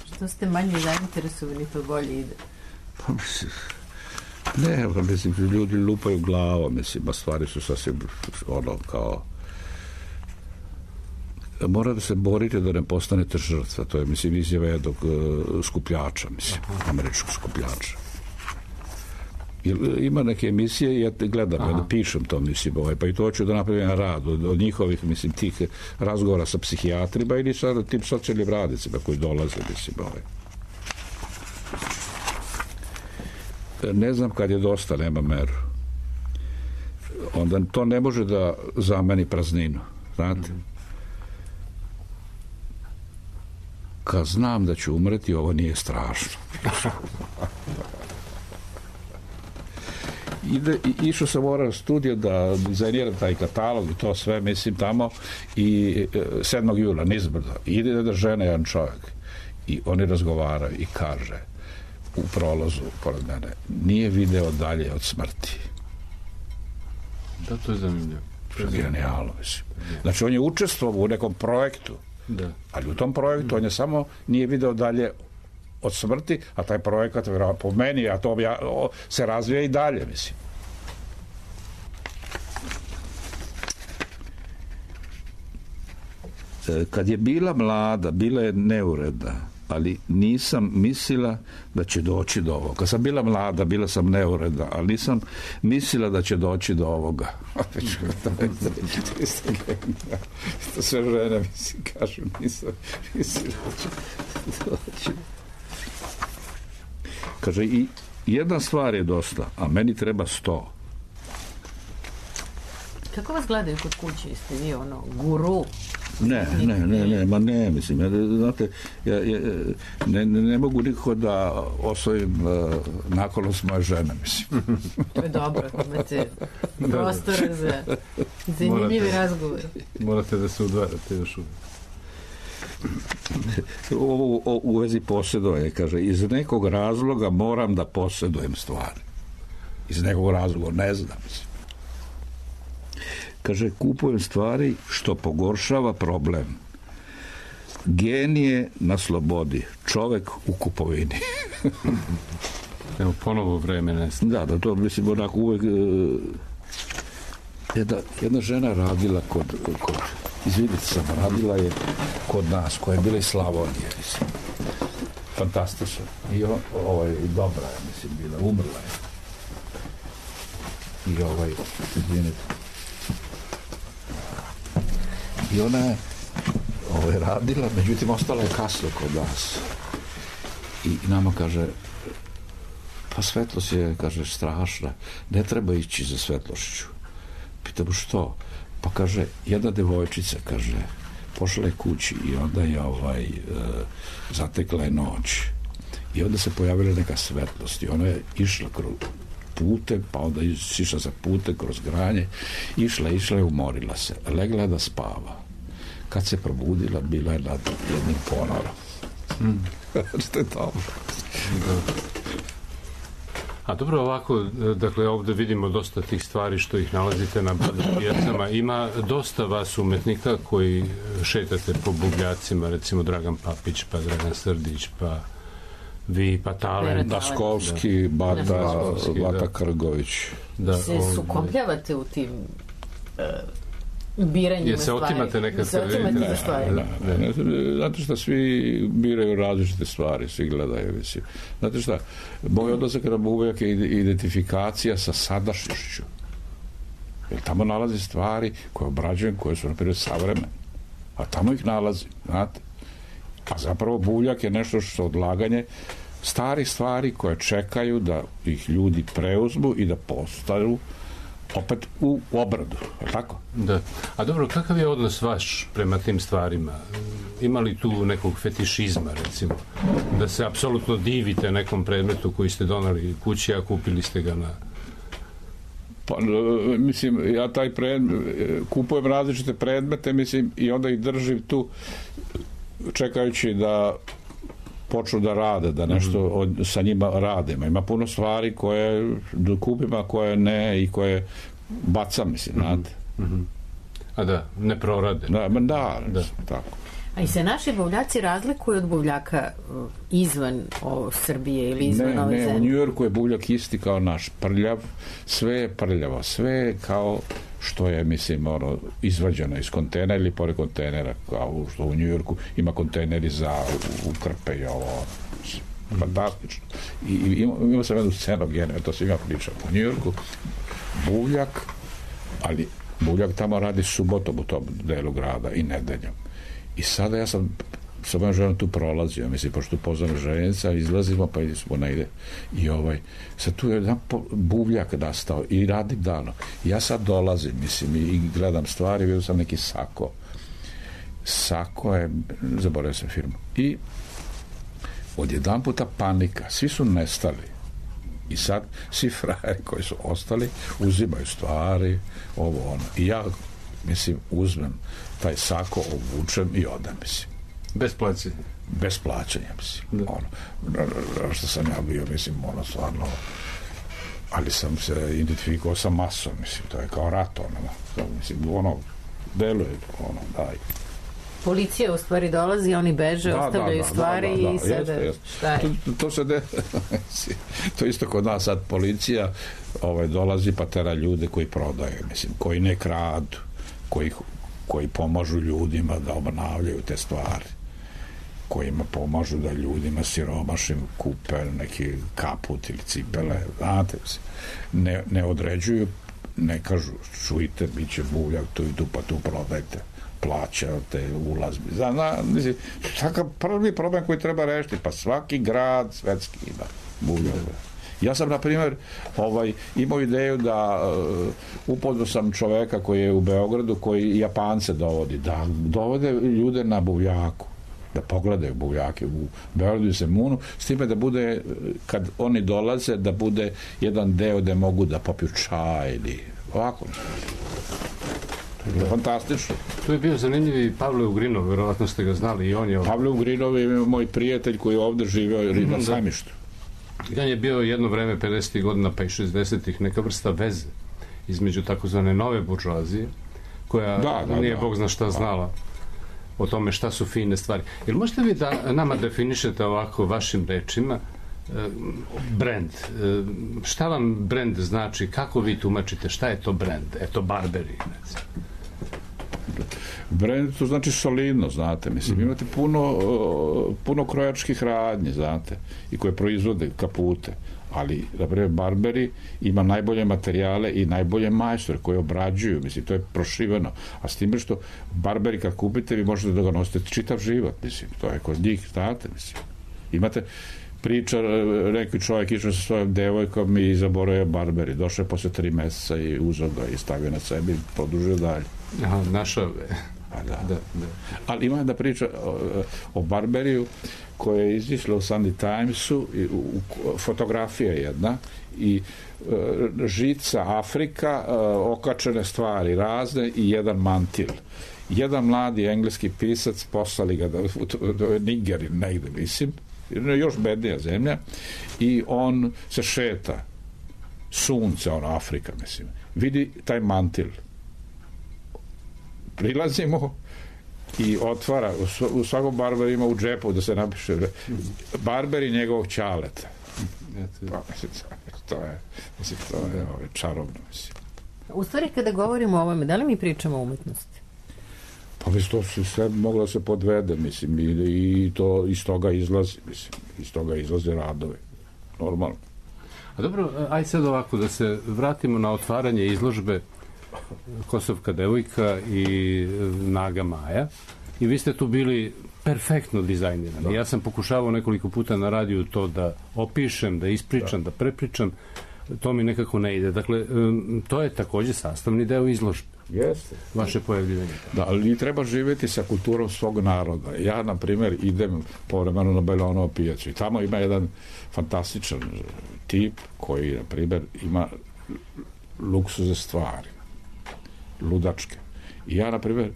Što ste manje zainteresovani, to bolje ide. Pa, mislim, Ne, mislim, ljudi lupaju glavom, mislim, a stvari su sasvim ono kao mora da se borite da ne postanete žrtva. To je, mislim, izjava jednog uh, skupljača, mislim, američkog skupljača. Ima neke emisije, ja gledam, ja da pišem to, mislim, ovaj, pa i to ću da napravim rad od, od njihovih, mislim, tih razgovora sa psihijatrima ili sa tim socijalnim radnicima koji dolaze, mislim, ovaj. Ne znam kad je dosta, nema meru. Onda to ne može da zameni prazninu, znate? Kad znam da ću umreti, ovo nije strašno. Ide, išao sam morao studiju da dizajniram taj katalog i to sve, mislim, tamo i sedmog jula nizbrdo ide da žene jedan čovjek i oni razgovaraju i kaže u prolazu pored mene, nije video dalje od smrti. Da, to je zanimljivo. To je genijalno, mislim. Znači, on je učestvovao u nekom projektu, da. Ali u tom projektu on je samo nije video dalje od smrti, a taj projekat po meni, a to ja, o, se razvija i dalje, mislim. Kad je bila mlada, bila je neuredna, ali nisam mislila da će doći do ovoga. Kad sam bila mlada, bila sam neuredna, ali nisam mislila da će doći do ovoga. To sve žene, mislim, kažu, nisam mislila da će doći. Kaže, i jedna stvar je dosta, a meni treba sto. Kako vas gledaju kod kuće? Jeste vi ono guru? Ne, ne, ne, ne, ma ne, mislim, ja, znate, ja, ja, ne, ne mogu nikako da osvojim uh, naklonost moje žene, mislim. To je dobro, imate prostora za zanimljivi razgovor. Morate da se udvarate još uvijek. Ovo u vezi posjedovanja, kaže, iz nekog razloga moram da posjedujem stvari. Iz nekog razloga, ne znam, mislim. Kaže, kupujem stvari što pogoršava problem. Genije na slobodi, čovek u kupovini. Evo, ponovo vreme nestaje. Da, da, to mislim, onako uvek... Jedna, jedna žena radila kod, kod izvidite sam, radila je kod nas, koja je bila iz Slavonije, mislim. Fantastično. I on, ovaj, dobra je, mislim, bila, umrla je. I ovaj, izvinite. I ona je ovaj, radila, međutim, ostala je kasno kod nas. I nama kaže, pa svetlost je, kaže, strašna, ne treba ići za svetlošću. Pitamo što? Pa kaže, jedna devojčica, kaže, pošla je kući i onda je ovaj, e, zatekla je noć. I onda se pojavila neka svetlost i ona je išla kroz putem, pa onda išla za putem kroz granje, išla, išla i umorila se. Legla je da spava. Kad se probudila, bila je nad jednim ponorom. Mm. Što je dobro. A dobro, ovako, dakle, ovdje vidimo dosta tih stvari što ih nalazite na pijacama. Ima dosta vas umetnika koji šetate po bugljacima, recimo Dragan Papić, pa Dragan Srdić, pa vi, pa Talent. Daskovski, Bata, Daskovski, Bata da. Krgović. Da, se sukobljavate u tim uh, biranjima stvari. Se otimate neka stvari? Ne, stvari. Ne, ne, ne, ne, znate šta, svi biraju različite stvari, svi gledaju, mislim. Znate šta, moj odlazak nam uvijek je identifikacija sa sadašnjošću. Jer tamo nalazi stvari koje obrađujem, koje su, na primjer, savremene. A tamo ih nalazim, znate. A zapravo buljak je nešto što odlaganje starih stvari koje čekaju da ih ljudi preuzmu i da postaju opet u obradu, je tako? Da. A dobro, kakav je odnos vaš prema tim stvarima? Ima li tu nekog fetišizma, recimo? Da se apsolutno divite nekom predmetu koji ste donali kući, a kupili ste ga na... Pa, mislim, ja taj predmet, kupujem različite predmete, mislim, i onda ih držim tu čekajući da počnu da rade, da nešto od, sa njima radimo. Ima puno stvari koje kupim, a koje ne i koje bacam, mislim, znate. Mm-hmm. A da, ne prorade. Da, da, da. Tako. A i se naši buvljaci razlikuju od buvljaka izvan o, Srbije ili izvan ne, ove ne, zemlje? u Njujorku je buvljak isti kao naš, prljav, sve je prljavo, sve je kao što je, mislim, ono, izvađeno iz kontejnera ili pored kontejnera, kao što u Njujorku ima kontejneri za u, u krpe i ovo, fantastično. I, i ima, ima sam jednu scenu geniju, to svima pričam. U Njujorku buvljak, ali buvljak tamo radi subotom u tom delu grada i nedeljom. I sada ja sam sa mojom ženom tu prolazio, mislim, pošto poznam željeznica, izlazimo, pa smo negde. I ovaj, sad tu je jedan buvljak nastao i radim dano. I ja sad dolazim, mislim, i gledam stvari, vidio sam neki Sako. Sako je, zaboravio sam firmu. I odjedan puta panika, svi su nestali. I sad svi frajeri koji su ostali uzimaju stvari, ovo ono. I ja, mislim, uzmem taj Sako, obučem i odam, mislim. Bez plaćanja? Bez plaćanja, mislim. Da. Ono, što sam ja bio, mislim, ono, stvarno, ali sam se identifikovao sa masom, mislim, to je kao rat, ono, mislim, ono, deluje, ono, daj. Policija u stvari dolazi, oni beže, da, ostavljaju da, da, stvari da, da, i sada jeste, jeste. šta je? To, to se de... to isto kod nas sad policija ovaj, dolazi pa tera ljude koji prodaju, mislim, koji ne kradu, koji, koji pomažu ljudima da obnavljaju te stvari, kojima pomažu da ljudima siromašim kupe neki kaput ili cipele, znate, ne, ne određuju, ne kažu, čujte, bit će buvljak tu i tu, pa tu prodajte, plaćate ulaz. Zna, mislim, takav prvi problem koji treba rešiti, pa svaki grad svetski ima buvljak. Ja sam, na primjer, ovaj, imao ideju da uh, upoznao sam čoveka koji je u Beogradu, koji Japance dovodi, da dovode ljude na buvljaku, da pogledaju buvljake u Beogradu i Zemunu, s time da bude, kad oni dolaze, da bude jedan deo da mogu da popiju čaj ili ovako. Fantastično. Tu je bio zanimljiv Pavle Ugrinov, verovatno ste ga znali i on je... Pavle Ugrinov je moj prijatelj koji je ovde živeo mm, na Sajmištu. I on je bio jedno vreme pedesetih godina pa i šezdesetih neka vrsta veze između takozvane nove buržoazije, koja da, da, nije da. Bog zna šta znala o tome šta su fine stvari. Jel možete vi da nama definišete ovako vašim rečima brend? Šta vam brend znači? Kako vi tumačite? Šta je to brend? Eto, Barberi. Brend to znači solidno, znate. Mislim, imate puno, puno krojačkih radnji, znate, i koje proizvode kapute. Ali, na primjer, Barberi ima najbolje materijale i najbolje majstore koje obrađuju, mislim, to je prošiveno. A s time što Barberi kad kupite, vi možete da ga nosite čitav život, mislim, to je kod njih, znate, mislim. Imate priča, neki čovjek išao sa svojom devojkom i zaboravio Barberi. Došao je posle tri meseca i uzeo ga i stavio na sebi i produžio dalje. Aha, našao je. Da. Da, da. Ali ima da priča o, o Barberiju koja je izišla u Sunday Timesu, i, u, u, fotografija jedna i e, žica Afrika, e, okačene stvari razne i jedan mantil. Jedan mladi engleski pisac poslali ga do, do Nigeri negde, mislim, još bednija zemlja, i on se šeta, sunce, ono, Afrika, mislim, vidi taj mantil, prilazimo i otvara, u svakom Barberu ima u džepu da se napiše Barberi njegovog ćaleta. Pa, mislim, to je, mislim, to je ove, čarobno, mislim. U stvari, kada govorimo o ovome, da li mi pričamo o umetnosti? Pa mislim, to se sve moglo da se podvede, mislim, i, i to iz toga izlazi, mislim, iz toga izlaze radovi, normalno. A dobro, ajde sad ovako, da se vratimo na otvaranje izložbe Kosovka devojka i Naga Maja, i vi ste tu bili perfektno dizajnirani. Da. Ja sam pokušavao nekoliko puta na radiju to da opišem, da ispričam, da, da prepričam, to mi nekako ne ide. Dakle, to je takođe sastavni deo izložbe. Jeste. Vaše pojavljivanje. Da, ali treba živjeti sa kulturom svog naroda. Ja, na primjer, idem povremeno na Bajlonovu pijacu i tamo ima jedan fantastičan tip koji, na primjer, ima luksuze stvari, ludačke. I ja, na primjer,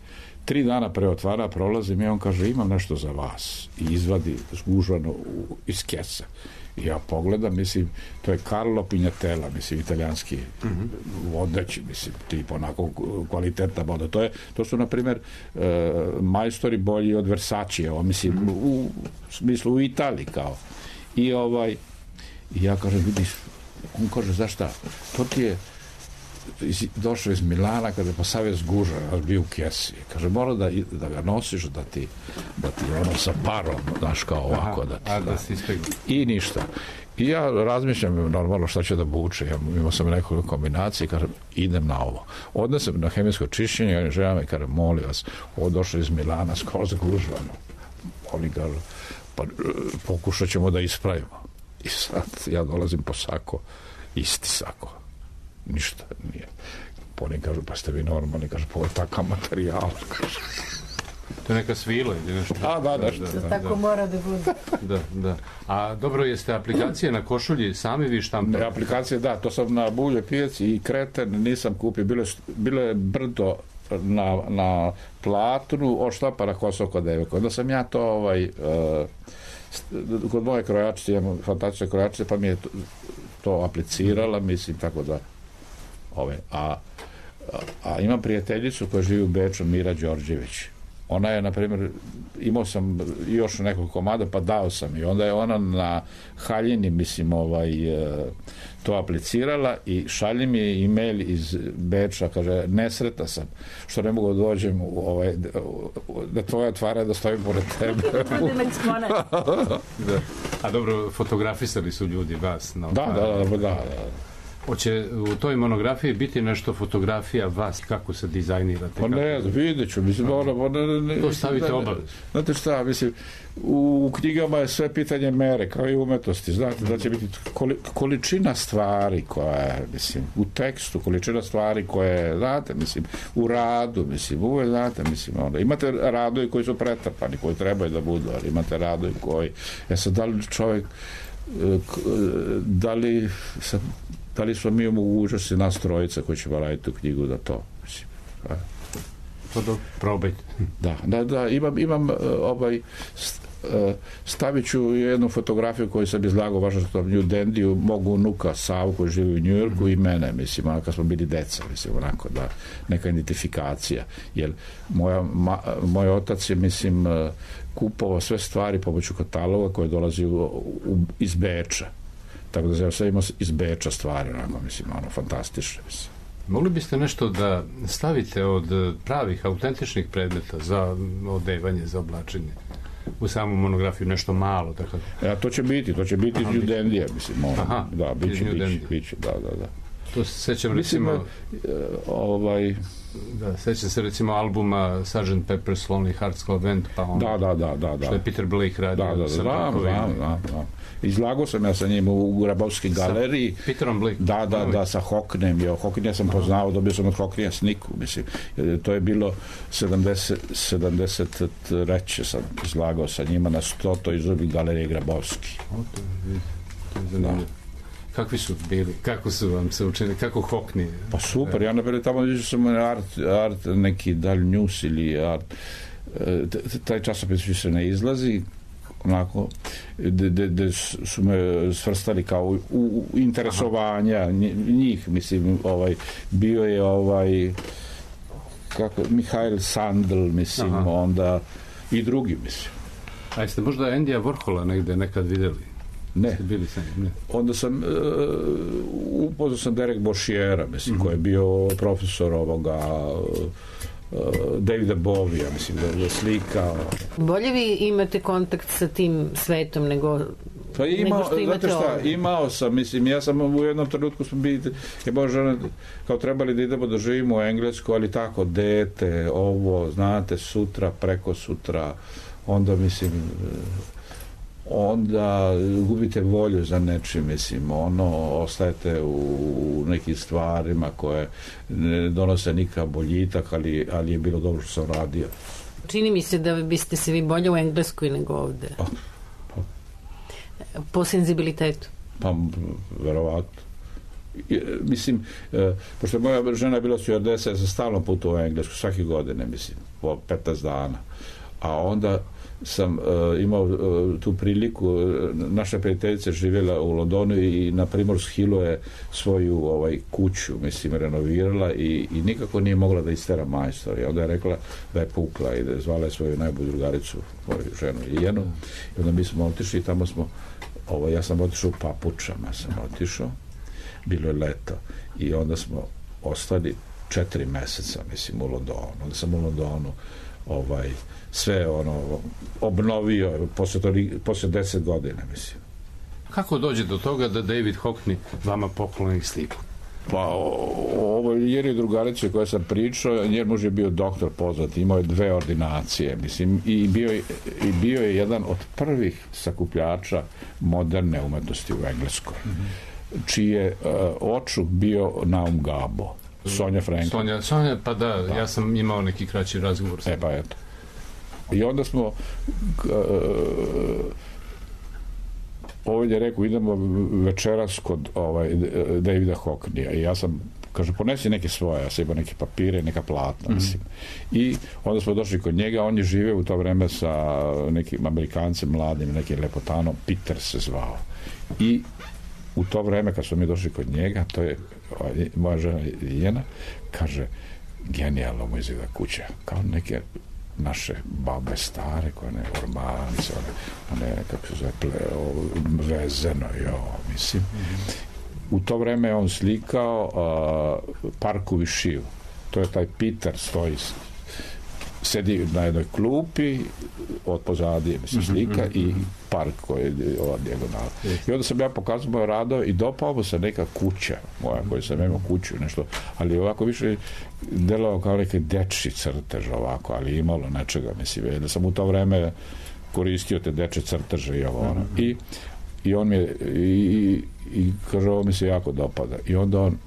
tri dana pre otvara prolazim i on kaže, imam nešto za vas. I izvadi zgužvano iz kesa. I ja pogledam, mislim, to je Carlo Pignatella, mislim, italijanski mm-hmm. vodeći, mislim, tip onako kvalitetna voda. To, je, to su, na primjer, e, majstori bolji od Versace, mislim, mm-hmm. u, u smislu u Italiji, kao. I ovaj, i ja kažem, vidiš, on kaže, znaš šta, to ti je iz, došao iz Milana kada je po savez guža, bio u kesi. Kaže, mora da, da ga nosiš, da ti, da ti ono sa parom, znaš, kao ovako. Aha, da ti, a da, da si ispegli. I ništa. I ja razmišljam normalno šta ću da buče. Ja imao sam nekoliko kombinacije i kažem, idem na ovo. Odnesem na hemijsko čišćenje, žena me kaže, molim vas, ovo došlo iz Milana, skroz gužvano. Oni kažu, pa pokušat ćemo da ispravimo. I sad ja dolazim po sako, isti sako. Ništa nije. Oni kažu, pa ste vi normalni, kažu, pa ovo je takav materijal. To je neka svila ili nešto? A, da, da, da, da. Tako da. Mora da bude. Da, da. A dobro, jeste aplikacije na košulji sami vi štampali? Ne, aplikacije, da, to sam na Bulje pijaci i Kreten nisam kupio. Bilo, bilo je brdo na, na platnu od štapara Kosovo kod devojka. Onda sam ja to ovaj, uh, kod moje krojačice, imam fantastične krojačice, pa mi je to, to aplicirala, mislim, tako da ove, a, a, a imam prijateljicu koja živi u Beču, Mira Đorđević. Ona je, na primjer, imao sam još nekoliko komada, pa dao sam i onda je ona na haljini, mislim, ovaj, to aplicirala i šalje mi e-mail iz Beča, kaže, nesretna sam, što ne mogu da dođem u ovaj, da tvoja otvara da stojim pored tebe. Da. A dobro, fotografisali su ljudi vas. No, da, da, da, da, da. Hoće u toj monografiji biti nešto fotografija vas, kako se dizajnirate? Pa ne, vidjet ću, mislim, ono, ono, ne, to stavite obavez. Znate šta, mislim, u knjigama je sve pitanje mere, kao i umetnosti, znate, da će biti količina stvari koja je, mislim, u tekstu, količina stvari koje, znate, mislim, u radu, mislim, uvek, znate, mislim, ono, imate radovi koji su pretrpani, koji trebaju da budu, ali imate radovi koji, ja sad, da li čovjek, da li sad, da li smo mi u mogućnosti nas trojica koji ćemo raditi tu knjigu da to, mislim. A? To da probajte. Da, da, da, imam, imam ovaj, stavit ću jednu fotografiju koju sam izlagao važno što New Dandiju, mogu unuka Savu koji živi u Njujorku i mene, mislim, ono kad smo bili deca, mislim, onako, da, neka identifikacija, jer moja, ma, moj otac je, mislim, kupovao sve stvari pomoću kataloga koje dolazi u, u, iz Beča. Tako da sve imamo iz Beča stvari, onako, mislim, ono, fantastične, mislim. Mogli biste nešto da stavite od pravih, autentičnih predmeta za odevanje, za oblačenje? U samu monografiju nešto malo, tako da. Ja, to će biti, to će biti iz New Dandija, mislim, ono. Aha, da, bit će, bit će, bit će, da, da, da. To se sećam, recimo, mislim, ovaj, da, sećam se, recimo, albuma sergeant Pepper's Lonely Hearts Club Band, pa ono, da, da, da, da, da. što je Peter Blake radio. Da, da, da, da, da, da, da. Izlagao sam ja sa njim u Grabovskoj galeriji. Sa Peterom Blake? Da, da, da, sa Hockneyem. Jo, Hockneya sam poznao, dobio sam od Hockneya sniku, mislim. To je bilo sedamdeset, sedamdeset treće sam izlagao sa njima na stotoj izložbi galerije Grabovski. O, to je, to je zanimljivo. Kakvi su bili? Kako su vam se učinili? Kako Hockney? Pa super, ja napred tamo vidio sam art, art neki Dal News ili art. Taj časopis više ne izlazi, onako, gde su me svrstali kao u, u interesovanja njih, mislim, ovaj, bio je ovaj kako, Mihail Sandl, mislim, aha, onda i drugi, mislim. A jeste možda Endija Warhola negde nekad videli? Ne. Bili sam, ne. Onda sam uh, upoznao sam Derek Bošiera, mislim, mm-hmm, koji je bio profesor ovoga uh, Davida Bovija, mislim, da je slika. Bolje vi imate kontakt sa tim svetom nego, pa ima, nego što imate šta, ovdje? Imao sam, mislim, ja sam u jednom trenutku smo bili, je Bože, kao trebali da idemo da živimo u Englesku, ali tako, dete, ovo, znate, sutra, preko sutra, onda, mislim, onda gubite volju za nečim, mislim, ono, ostajete u nekim stvarima koje ne donose nikakav boljitak, ali, ali je bilo dobro što sam radio. Čini mi se da biste se vi bolje u Engleskoj nego ovde. Pa, pa. Po senzibilitetu? Pa, verovatno. Mislim, e, pošto moja žena je bila stjuardesa, ja sam stalno putovao u Englesku, svake godine, mislim, po petnaest dana. A onda sam uh, imao uh, tu priliku, naša prijateljica živjela u Londonu i na Primorsk Hillu je svoju ovaj, kuću, mislim, renovirala i, i nikako nije mogla da istera majstor. I onda je rekla da je pukla i da je zvala svoju najbolju drugaricu, moju ženu Jenu. I onda mi smo otišli i tamo smo, ovaj, ja sam otišao u papučama, sam otišao, bilo je leto i onda smo ostali četiri meseca, mislim, u Londonu. Onda sam u Londonu ovaj, sve ono obnovio posle, to, posle deset godina, mislim. Kako dođe do toga da David Hockney vama pokloni sliku? Pa ovo jer je drugarice koja sam pričao, njen muž je bio doktor poznat, imao je dve ordinacije, mislim, i bio je, i bio je jedan od prvih sakupljača moderne umetnosti u Engleskoj, mm-hmm. čiji je uh, očuh bio Naum Gabo. Sonja Franklin. Sonja, Sonja, pa da, da, ja sam imao neki kraći razgovor sa E, pa eto. I onda smo uh, ovaj je rekao, idemo večeras kod ovaj, Davida Hockneya i ja sam, kaže, ponesi neke svoje, ja sam imao neke papire, neka platna, mm-hmm. mislim. I onda smo došli kod njega, on je živeo u to vreme sa nekim Amerikancem mladim, nekim lepotanom, Peter se zvao. I u to vreme kad smo mi došli kod njega, to je moja žena Jena, kaže, genijalno mu izgleda kuća, kao neke naše babe stare, koje ne ormance, one, one kako se zove, ple, o, vezeno, jo, mislim. U to vreme on slikao uh, Parku Višiju. To je taj Peter, stoji, sedi na jednoj klupi, od pozadije, mislim, slika mm-hmm. i park koji je ova dijagonala. I onda sam ja pokazao moje radove i dopao mu se neka kuća moja, koju sam imao kuću, nešto, ali ovako više delovao kao neki dečji crtež ovako, ali imalo nečega, mislim, da sam u to vreme koristio te dečje crteže i ovo, ono. Mm-hmm. I, i on mi je, i, i kaže, ovo mi se jako dopada. I onda on,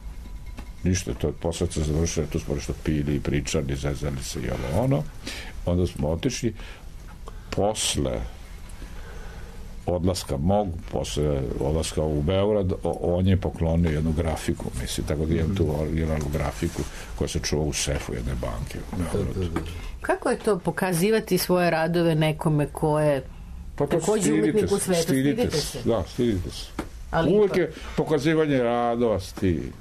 ništa, to je posle se završilo, tu smo nešto pili i pričali, zezali se i ovo, ono. Onda smo otišli, posle odlaska mog, posle odlaska u Beograd, on je poklonio jednu grafiku, mislim, tako da imam tu originalnu grafiku koja se čuva u sefu jedne banke u Beogradu. Kako je to pokazivati svoje radove nekome ko je pa takođe umetnik u svetu? Stidite se. Da, stidite se. Ali uvek pa je pokazivanje radova stidi,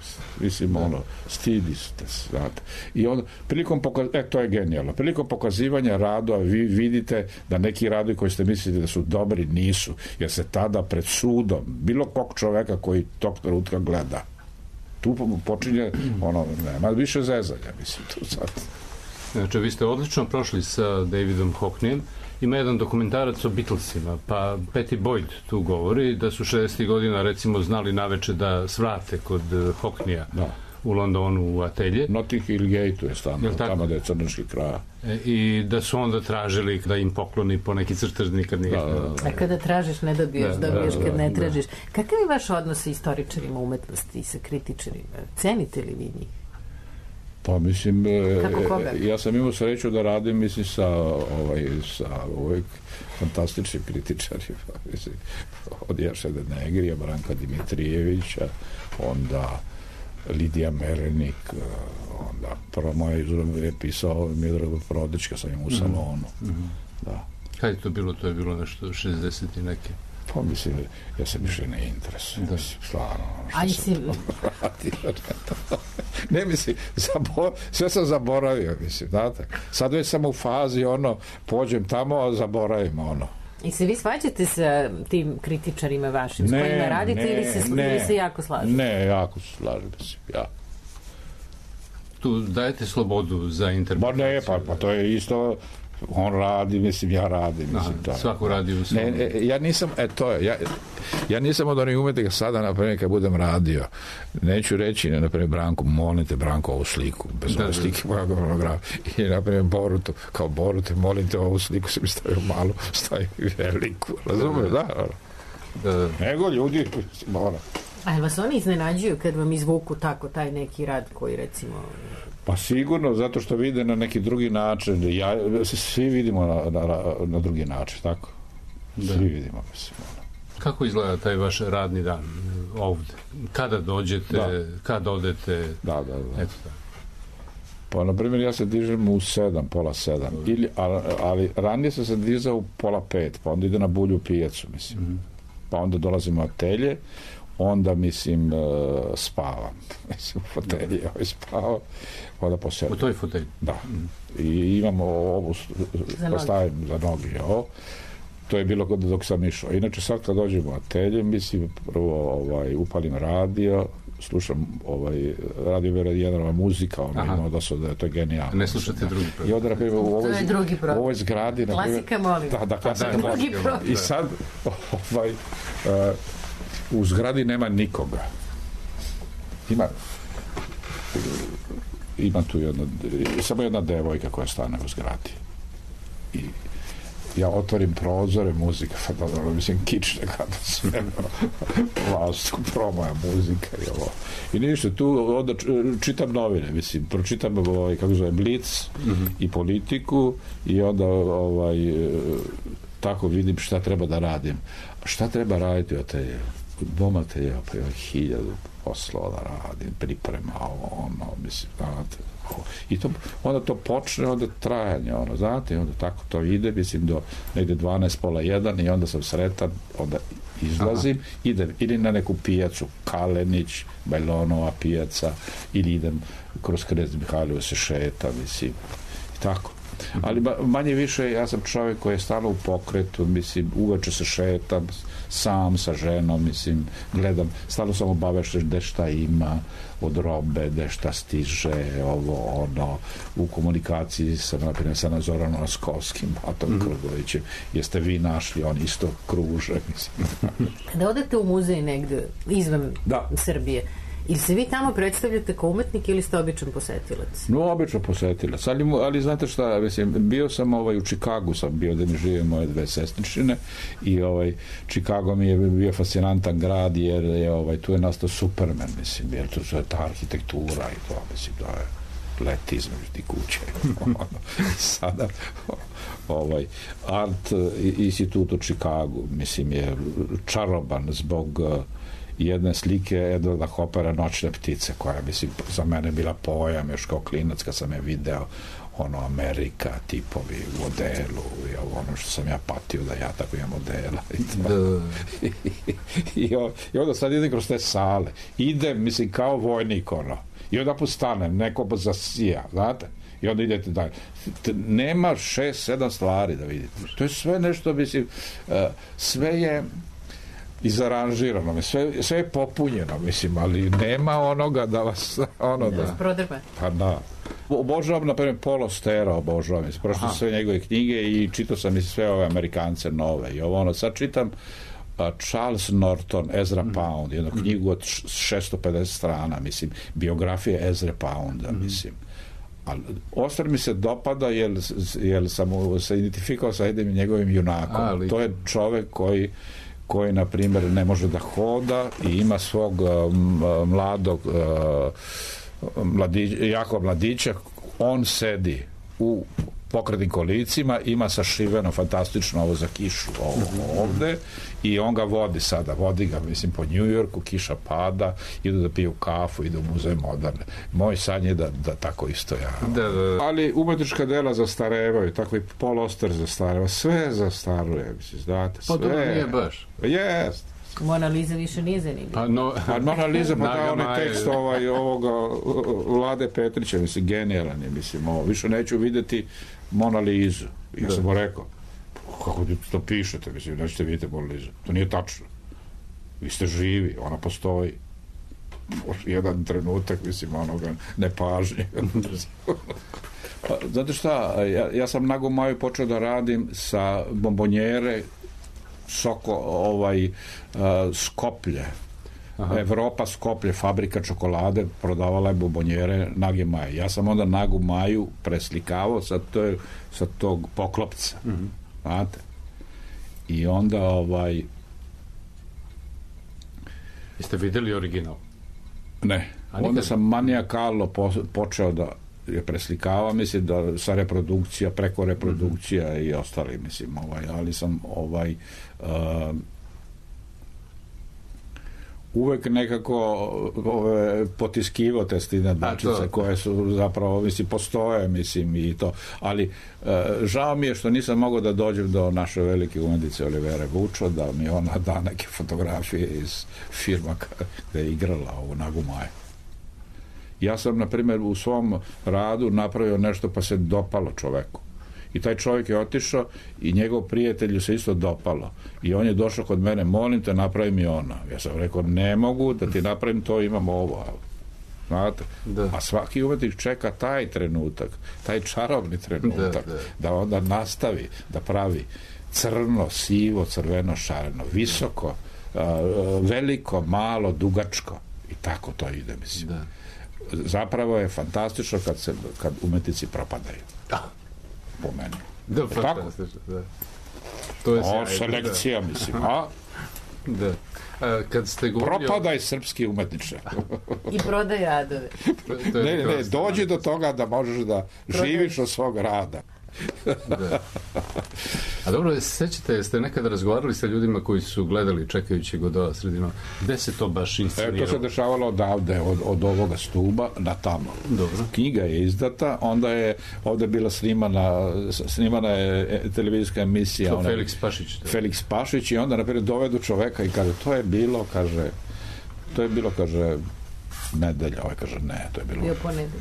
mislim, ono, stidi ste, znate. I onda, prilikom pokazivanja, e, to je genijalno, prilikom pokazivanja radova vi vidite da neki radovi koji ste mislili da su dobri nisu, jer se tada pred sudom, bilo kog čoveka koji tog trenutka gleda, tu počinje, ono, nema više zezanja, mislim, tu sad. Znači, vi ste odlično prošli sa Davidom Hockneyem. Ima jedan dokumentarac o Beatlesima, pa Patty Boyd tu govori da su šezdesetih godina recimo znali naveče da svrate kod Hockneya da. U Londonu u atelje. Notting Hill Gate-u je stano, tamo da je crnački kraj. E, I da su onda tražili da im pokloni po neki crtež nikad nije. Da, da, da. A kada tražiš ne dobiješ, da, dobiješ da, da, kad ne tražiš. Da. Kakav je vaš odnos sa istoričarima umetnosti i sa kritičarima? Cenite li vi njih? Pa mislim, ja sam imao sreću da radim, mislim, sa ovaj, sa uvijek fantastičnim kritičarima, mislim, od Jašeda Negrija, Branka Dimitrijevića, onda Lidija Merenik, onda prvo moje izvrame je pisao Miodrag Prodić, kad sam imao u salonu. Mm-hmm. Da. Kada je to bilo? To je bilo nešto šezdeset i neke? Pa mislim, ja sam više ne interesujem, mislim, stvarno, što sam radio. Ne, mislim, zabor, sve sam zaboravio, mislim, znate. Sad već sam u fazi, ono, pođem tamo, a zaboravim, ono. I se vi svađate sa tim kritičarima vašim, s kojima radite, ne, ili, se, ne, ili se jako slažete? Ne, jako se slažem, mislim, ja. Tu dajete slobodu za interpretaciju? Ba ne, pa, pa to je isto... on radi, mislim, ja radim, mislim, da, svako radi u svom. Ne, ne, ja nisam, e, to je, ja, ja nisam od onih umetnika sada, na primjer, kad budem radio, neću reći, na primjer, Branku, molim te, Branko, ovu sliku, bez ove slike moja monografija, i, na primjer, Borutu, kao Borute, molim te, ovu sliku se mi stavio malu, stavio veliku, razumiješ, da, da, da. Nego ljudi, mora. A je vas oni iznenađuju kad vam izvuku tako taj neki rad koji, recimo... Pa sigurno, zato što vide na neki drugi način. Ja, svi vidimo na, na, na drugi način, tako? Da. Svi vidimo, mislim. Kako izgleda taj vaš radni dan ovde? Kada dođete, da. Kada odete? Da, da, da. Eto da. Pa, na primjer, ja se dižem u sedam, pola sedam. Ili, ali, ali ranije sam se dizao u pola pet, pa onda ide na bulju pijacu, mislim. Mm-hmm. Pa onda dolazim u atelje, onda, mislim, uh, spavam. Mislim, u fotelji, ovaj spavao, onda po sedam. U toj fotelji? Da. Mm. I imamo ovu, postavim za nogi, ovo. To je bilo dok sam išao. Inače, sad kad dođem u atelje, mislim, prvo ovaj, upalim radio, slušam ovaj, radio Vera Jenrova muzika, ono ima dosta da je to genijalno. Ne slušate drugi program. I onda, na primjer, u ovoj, u ovoj zgradi... Klasika, molim. Da, da, klasika, da, molim. I sad, ovaj, uh, u zgradi nema nikoga. Ima... Ima tu jedna... Samo jedna devojka koja stane u zgradi. I ja otvorim prozore, muzika, pa da, mislim, kične kada sve, vlastu, promoja muzika i ovo. I ništa, tu onda čitam novine, mislim, pročitam ovaj, kako zove, Blic mm-hmm. i Politiku i onda ovaj, tako vidim šta treba da radim. Šta treba raditi od te bomate, ja, pa ja hiljadu poslova da radim, priprema, ovo, ono, mislim, znate, i to, onda to počne, onda trajanje, ono, znate, i onda tako to ide, mislim, do negde dvanaest, pola jedan i onda sam sretan, onda izlazim, aha, idem ili na neku pijacu, Kalenić, Bajlonova pijaca, ili idem kroz Knez Mihajlovu se šeta, mislim, i tako. Ali manje više, ja sam čovjek koji je stalno u pokretu, mislim, uveče se šetam, sam sa ženom, mislim, gledam, stalno sam obavešten gde šta ima od robe, gde šta stiže, ovo, ono, u komunikaciji sa, naprimjer, sa Zoranom Askovskim, Atom mm-hmm. Krgovićem, jeste vi našli, on isto kruže, mislim. Da odete u muzej negde, izvan da. Srbije, ili se vi tamo predstavljate kao umetnik ili ste običan posetilac? No, običan posetilac, ali, ali znate šta, mislim, bio sam ovaj, u Čikagu, sam bio da mi žive moje dve sestričine i ovaj, Čikago mi je bio fascinantan grad jer je, ovaj, tu je nastao Superman, mislim, jer tu je ta arhitektura i to, mislim, da je leti između ti kuće. Sada, ovaj, Art institut u Čikagu, mislim, je čaroban zbog jedne slike Edvarda Hopera Noćne ptice, koja, mislim, za mene bila pojam još kao klinac kad sam je video, ono, Amerika, tipovi u odelu i ono što sam ja patio da ja tako imam odela i, to. I, i, i onda sad idem kroz te sale, idem, mislim, kao vojnik, ono, i onda postanem, neko zasija, znate, i onda idete dalje. Nema šest, sedam stvari da vidite. To je sve nešto, mislim, sve je izaranžirano, sve, sve je popunjeno, mislim, ali nema onoga da vas, ono da... Da prodrba. Pa da. Obožavam, na primjer, Paulo Stera, obožavam, mislim, prošlo sve njegove knjige i čitao sam i sve ove Amerikance nove i ovo, ono, sad čitam uh, Charles Norton, Ezra mm. Pound, jednu mm. knjigu od šesto pedeset strana, mislim, biografije Ezra Pounda, mm. mislim. Ali ostro mi se dopada jer, jer sam se identifikao sa jednim njegovim junakom. A, to je čovek koji koji, na primjer, ne može da hoda i ima svog um, mladog uh, mladić, jako mladića, on sedi u pokretnim kolicima, ima sašiveno fantastično ovo za kišu ovo, ovde i on ga vodi sada, vodi ga, mislim, po New Yorku, kiša pada, idu da piju kafu, idu u muzej moderne. Moj san je da, da tako isto ja. Da, da, da. Ali umetnička dela zastarevaju, tako i Paul Auster zastareva, sve zastaruje, mislim, znate, sve. Pa dobro nije baš. Jest. Mona Lisa više nije zanimljiva. Pa, no, pa Mona Lisa, pa da, onaj tekst ovaj, ovoga Vlade Petrića, mislim, genijalan je, mislim, ovo, više neću videti Mona Lizu. Ja sam mu rekao, kako to pišete, mislim, nećete vidjeti Mona Lizu. To nije tačno. Vi ste živi, ona postoji. Jedan trenutak, mislim, onoga nepažnje. Pa, znate šta, ja, ja sam nago maju počeo da radim sa bombonjere Soko, ovaj, uh, Skoplje. Aha. Evropa, Skoplje, fabrika čokolade, prodavala je bombonjere Nage Maje. Ja sam onda Nagu Maju preslikavao sa, to, sa tog poklopca. Mm-hmm. Znate? I onda ovaj... Jeste videli original? Ne. Onda sam manijakalno po, počeo da je preslikava, mislim da sa reprodukcija, preko reprodukcija mm-hmm. i ostali, mislim, ovaj, ali sam ovaj uh, uvek nekako ove, potiskivo te stine dačice koje su zapravo, mislim, postoje, mislim, i to, ali e, žao mi je što nisam mogao da dođem do naše velike umetnice Olivere Vučo, da mi ona da neke fotografije iz firma gde je igrala ovu Nagu Maju. Ja sam, na primjer, u svom radu napravio nešto pa se dopalo čoveku. I taj čovjek je otišao i njegov prijatelju se isto dopalo. I on je došao kod mene, molim te, napravi mi ono. Ja sam rekao, ne mogu da ti napravim to, imam ovo. Znate? Da. A svaki umetnik čeka taj trenutak, taj čarobni trenutak, da, da. da onda nastavi, da pravi crno, sivo, crveno, šareno, visoko, a, veliko, malo, dugačko. I tako to ide, mislim. Da. Zapravo je fantastično kad, se, kad umetnici propadaju. Da. Po meni. Da, fantastično, da. To je o, selekcija, da. Mislim, a? Da. A, kad ste govorili... Propadaj srpski umetniče. I prodaj adove. Ne, ne, dođi do toga da možeš da prodaj. Živiš od svog rada. Da. A dobro, sećate, jeste nekada razgovarali sa ljudima koji su gledali čekajući Godota sredinom, gde se to baš insceniralo? E, to se dešavalo odavde, od, od ovoga stuba na tamo. Dobro. Knjiga je izdata, onda je ovde bila snimana, snimana je televizijska emisija. To ona, Felix Pašić. Da. Felix Pašić i onda, naprijed, dovedu čoveka i kaže, to je bilo, kaže, to je bilo, kaže, nedelja, ovaj kaže, ne, to je bilo... Bio ponedeljak.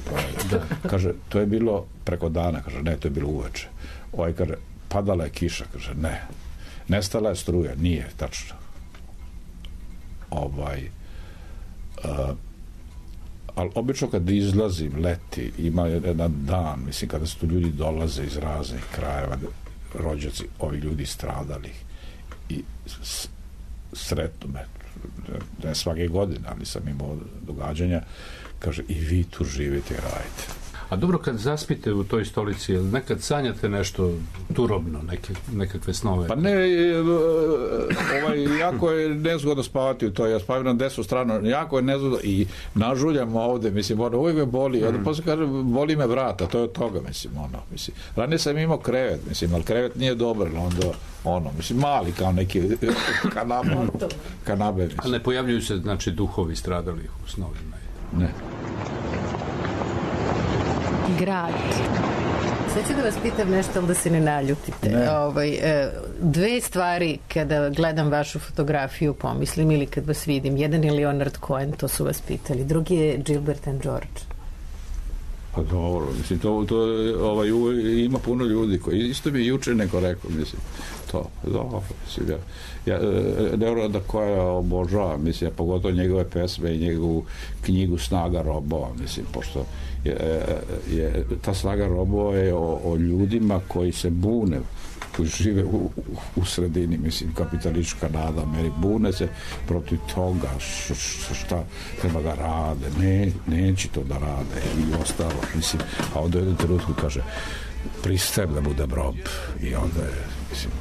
Da, kaže, to je bilo preko dana, kaže, ne, to je bilo uveče. Ovaj kaže, padala je kiša, kaže, ne. Nestala je struja, nije, tačno. Ovaj... Uh, ali obično kad izlazim, leti, ima jedan dan, mislim, kada su tu ljudi dolaze iz raznih krajeva, rođaci, ovi ljudi stradalih i s, sretnu me, ne svake godine, ali sam imao događanja, kaže, i vi tu živite i radite. A dobro, kad zaspite u toj stolici, nekad sanjate nešto turobno, neke, nekakve snove? Pa ne, ovaj, jako je nezgodno spavati u to, ja spavam na desnu stranu, jako je nezgodno i nažuljam ovde, mislim, ono, uvijek me boli, mm. onda posle kaže, boli me vrata, to je od toga, mislim, ono, mislim, ranije sam imao krevet, mislim, ali krevet nije dobar, onda, ono, mislim, mali, kao neki kanabe, kanabe, mislim. Ali ne pojavljuju se, znači, duhovi stradalih u snovima? Ne. Grad. Sad ću da vas pitam nešto, ali da se ne naljutite. Ne. Ovaj, dve stvari kada gledam vašu fotografiju pomislim ili kad vas vidim. Jedan je Leonard Cohen, to su vas pitali. Drugi je Gilbert and George. Pa dobro, mislim, to, to ovaj, ima puno ljudi koji, isto mi je juče neko rekao, mislim, to, dobro, mislim, ja, ja Leonarda Cohena obožavam, mislim, pogotovo njegove pesme i njegovu knjigu Snaga robova, mislim, pošto je, je ta Snaga robova je o, o ljudima koji se bune, koji žive u, u, u sredini, mislim, kapitalistička nada, meri, bune se protiv toga š, š, šta treba da rade, ne, neće to da rade i ostalo, mislim, a onda u jednom trenutku kaže, pristajem da budem rob i onda je, mislim,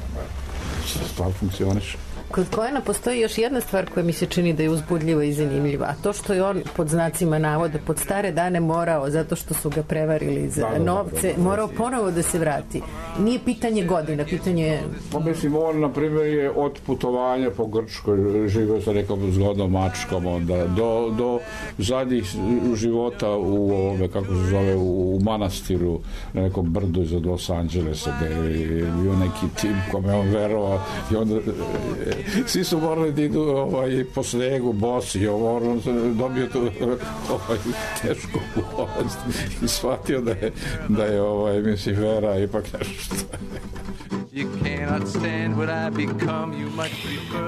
stvar funkcioniše. Kod Cohena postoji još jedna stvar koja mi se čini da je uzbudljiva i zanimljiva, a to što je on pod znacima navoda pod stare dane morao, zato što su ga prevarili za da, da, novce, da, da, da, morao ponovo da se vrati. Nije pitanje godina, pitanje je... Pa mislim, on, na primjer, je od putovanja po Grčkoj, živio sa nekom zgodnom mačkom, onda, do, do zadnjih života u ovome, kako se zove, u, u manastiru, na nekom brdu iza Los Angelesa, gde je bio neki tim kome on verovao i onda... Svi su morali da idu ovaj, po snegu, bosi, on dobio tu ovaj, tešku bolest i shvatio da je, da je ovaj, mislim, vera ipak nešto.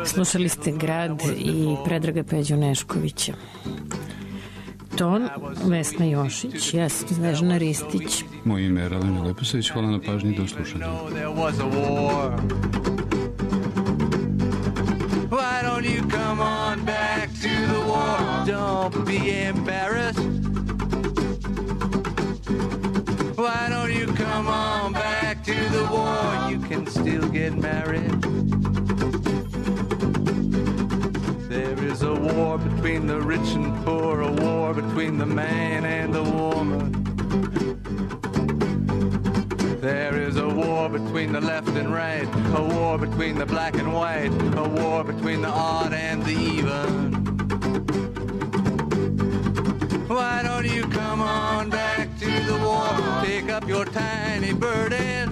Slušali ste Grad i Predraga Peđu Neškovića. Ton, Vesna Jošić, ja sam Snežana Ristić. Moje ime je Radonja Leposavić, hvala na pažnji i do slušanja. Why don't you come on back to the war? Don't be embarrassed. Why don't you come on back to the war? You can still get married. There is a war between the rich and poor, a war between the man and the woman. There is a war between the left and right, a war between the black and white, a war between the odd and the even. burden.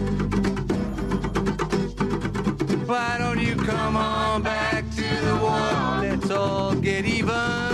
Why don't you come on back to the war? Let's all get even.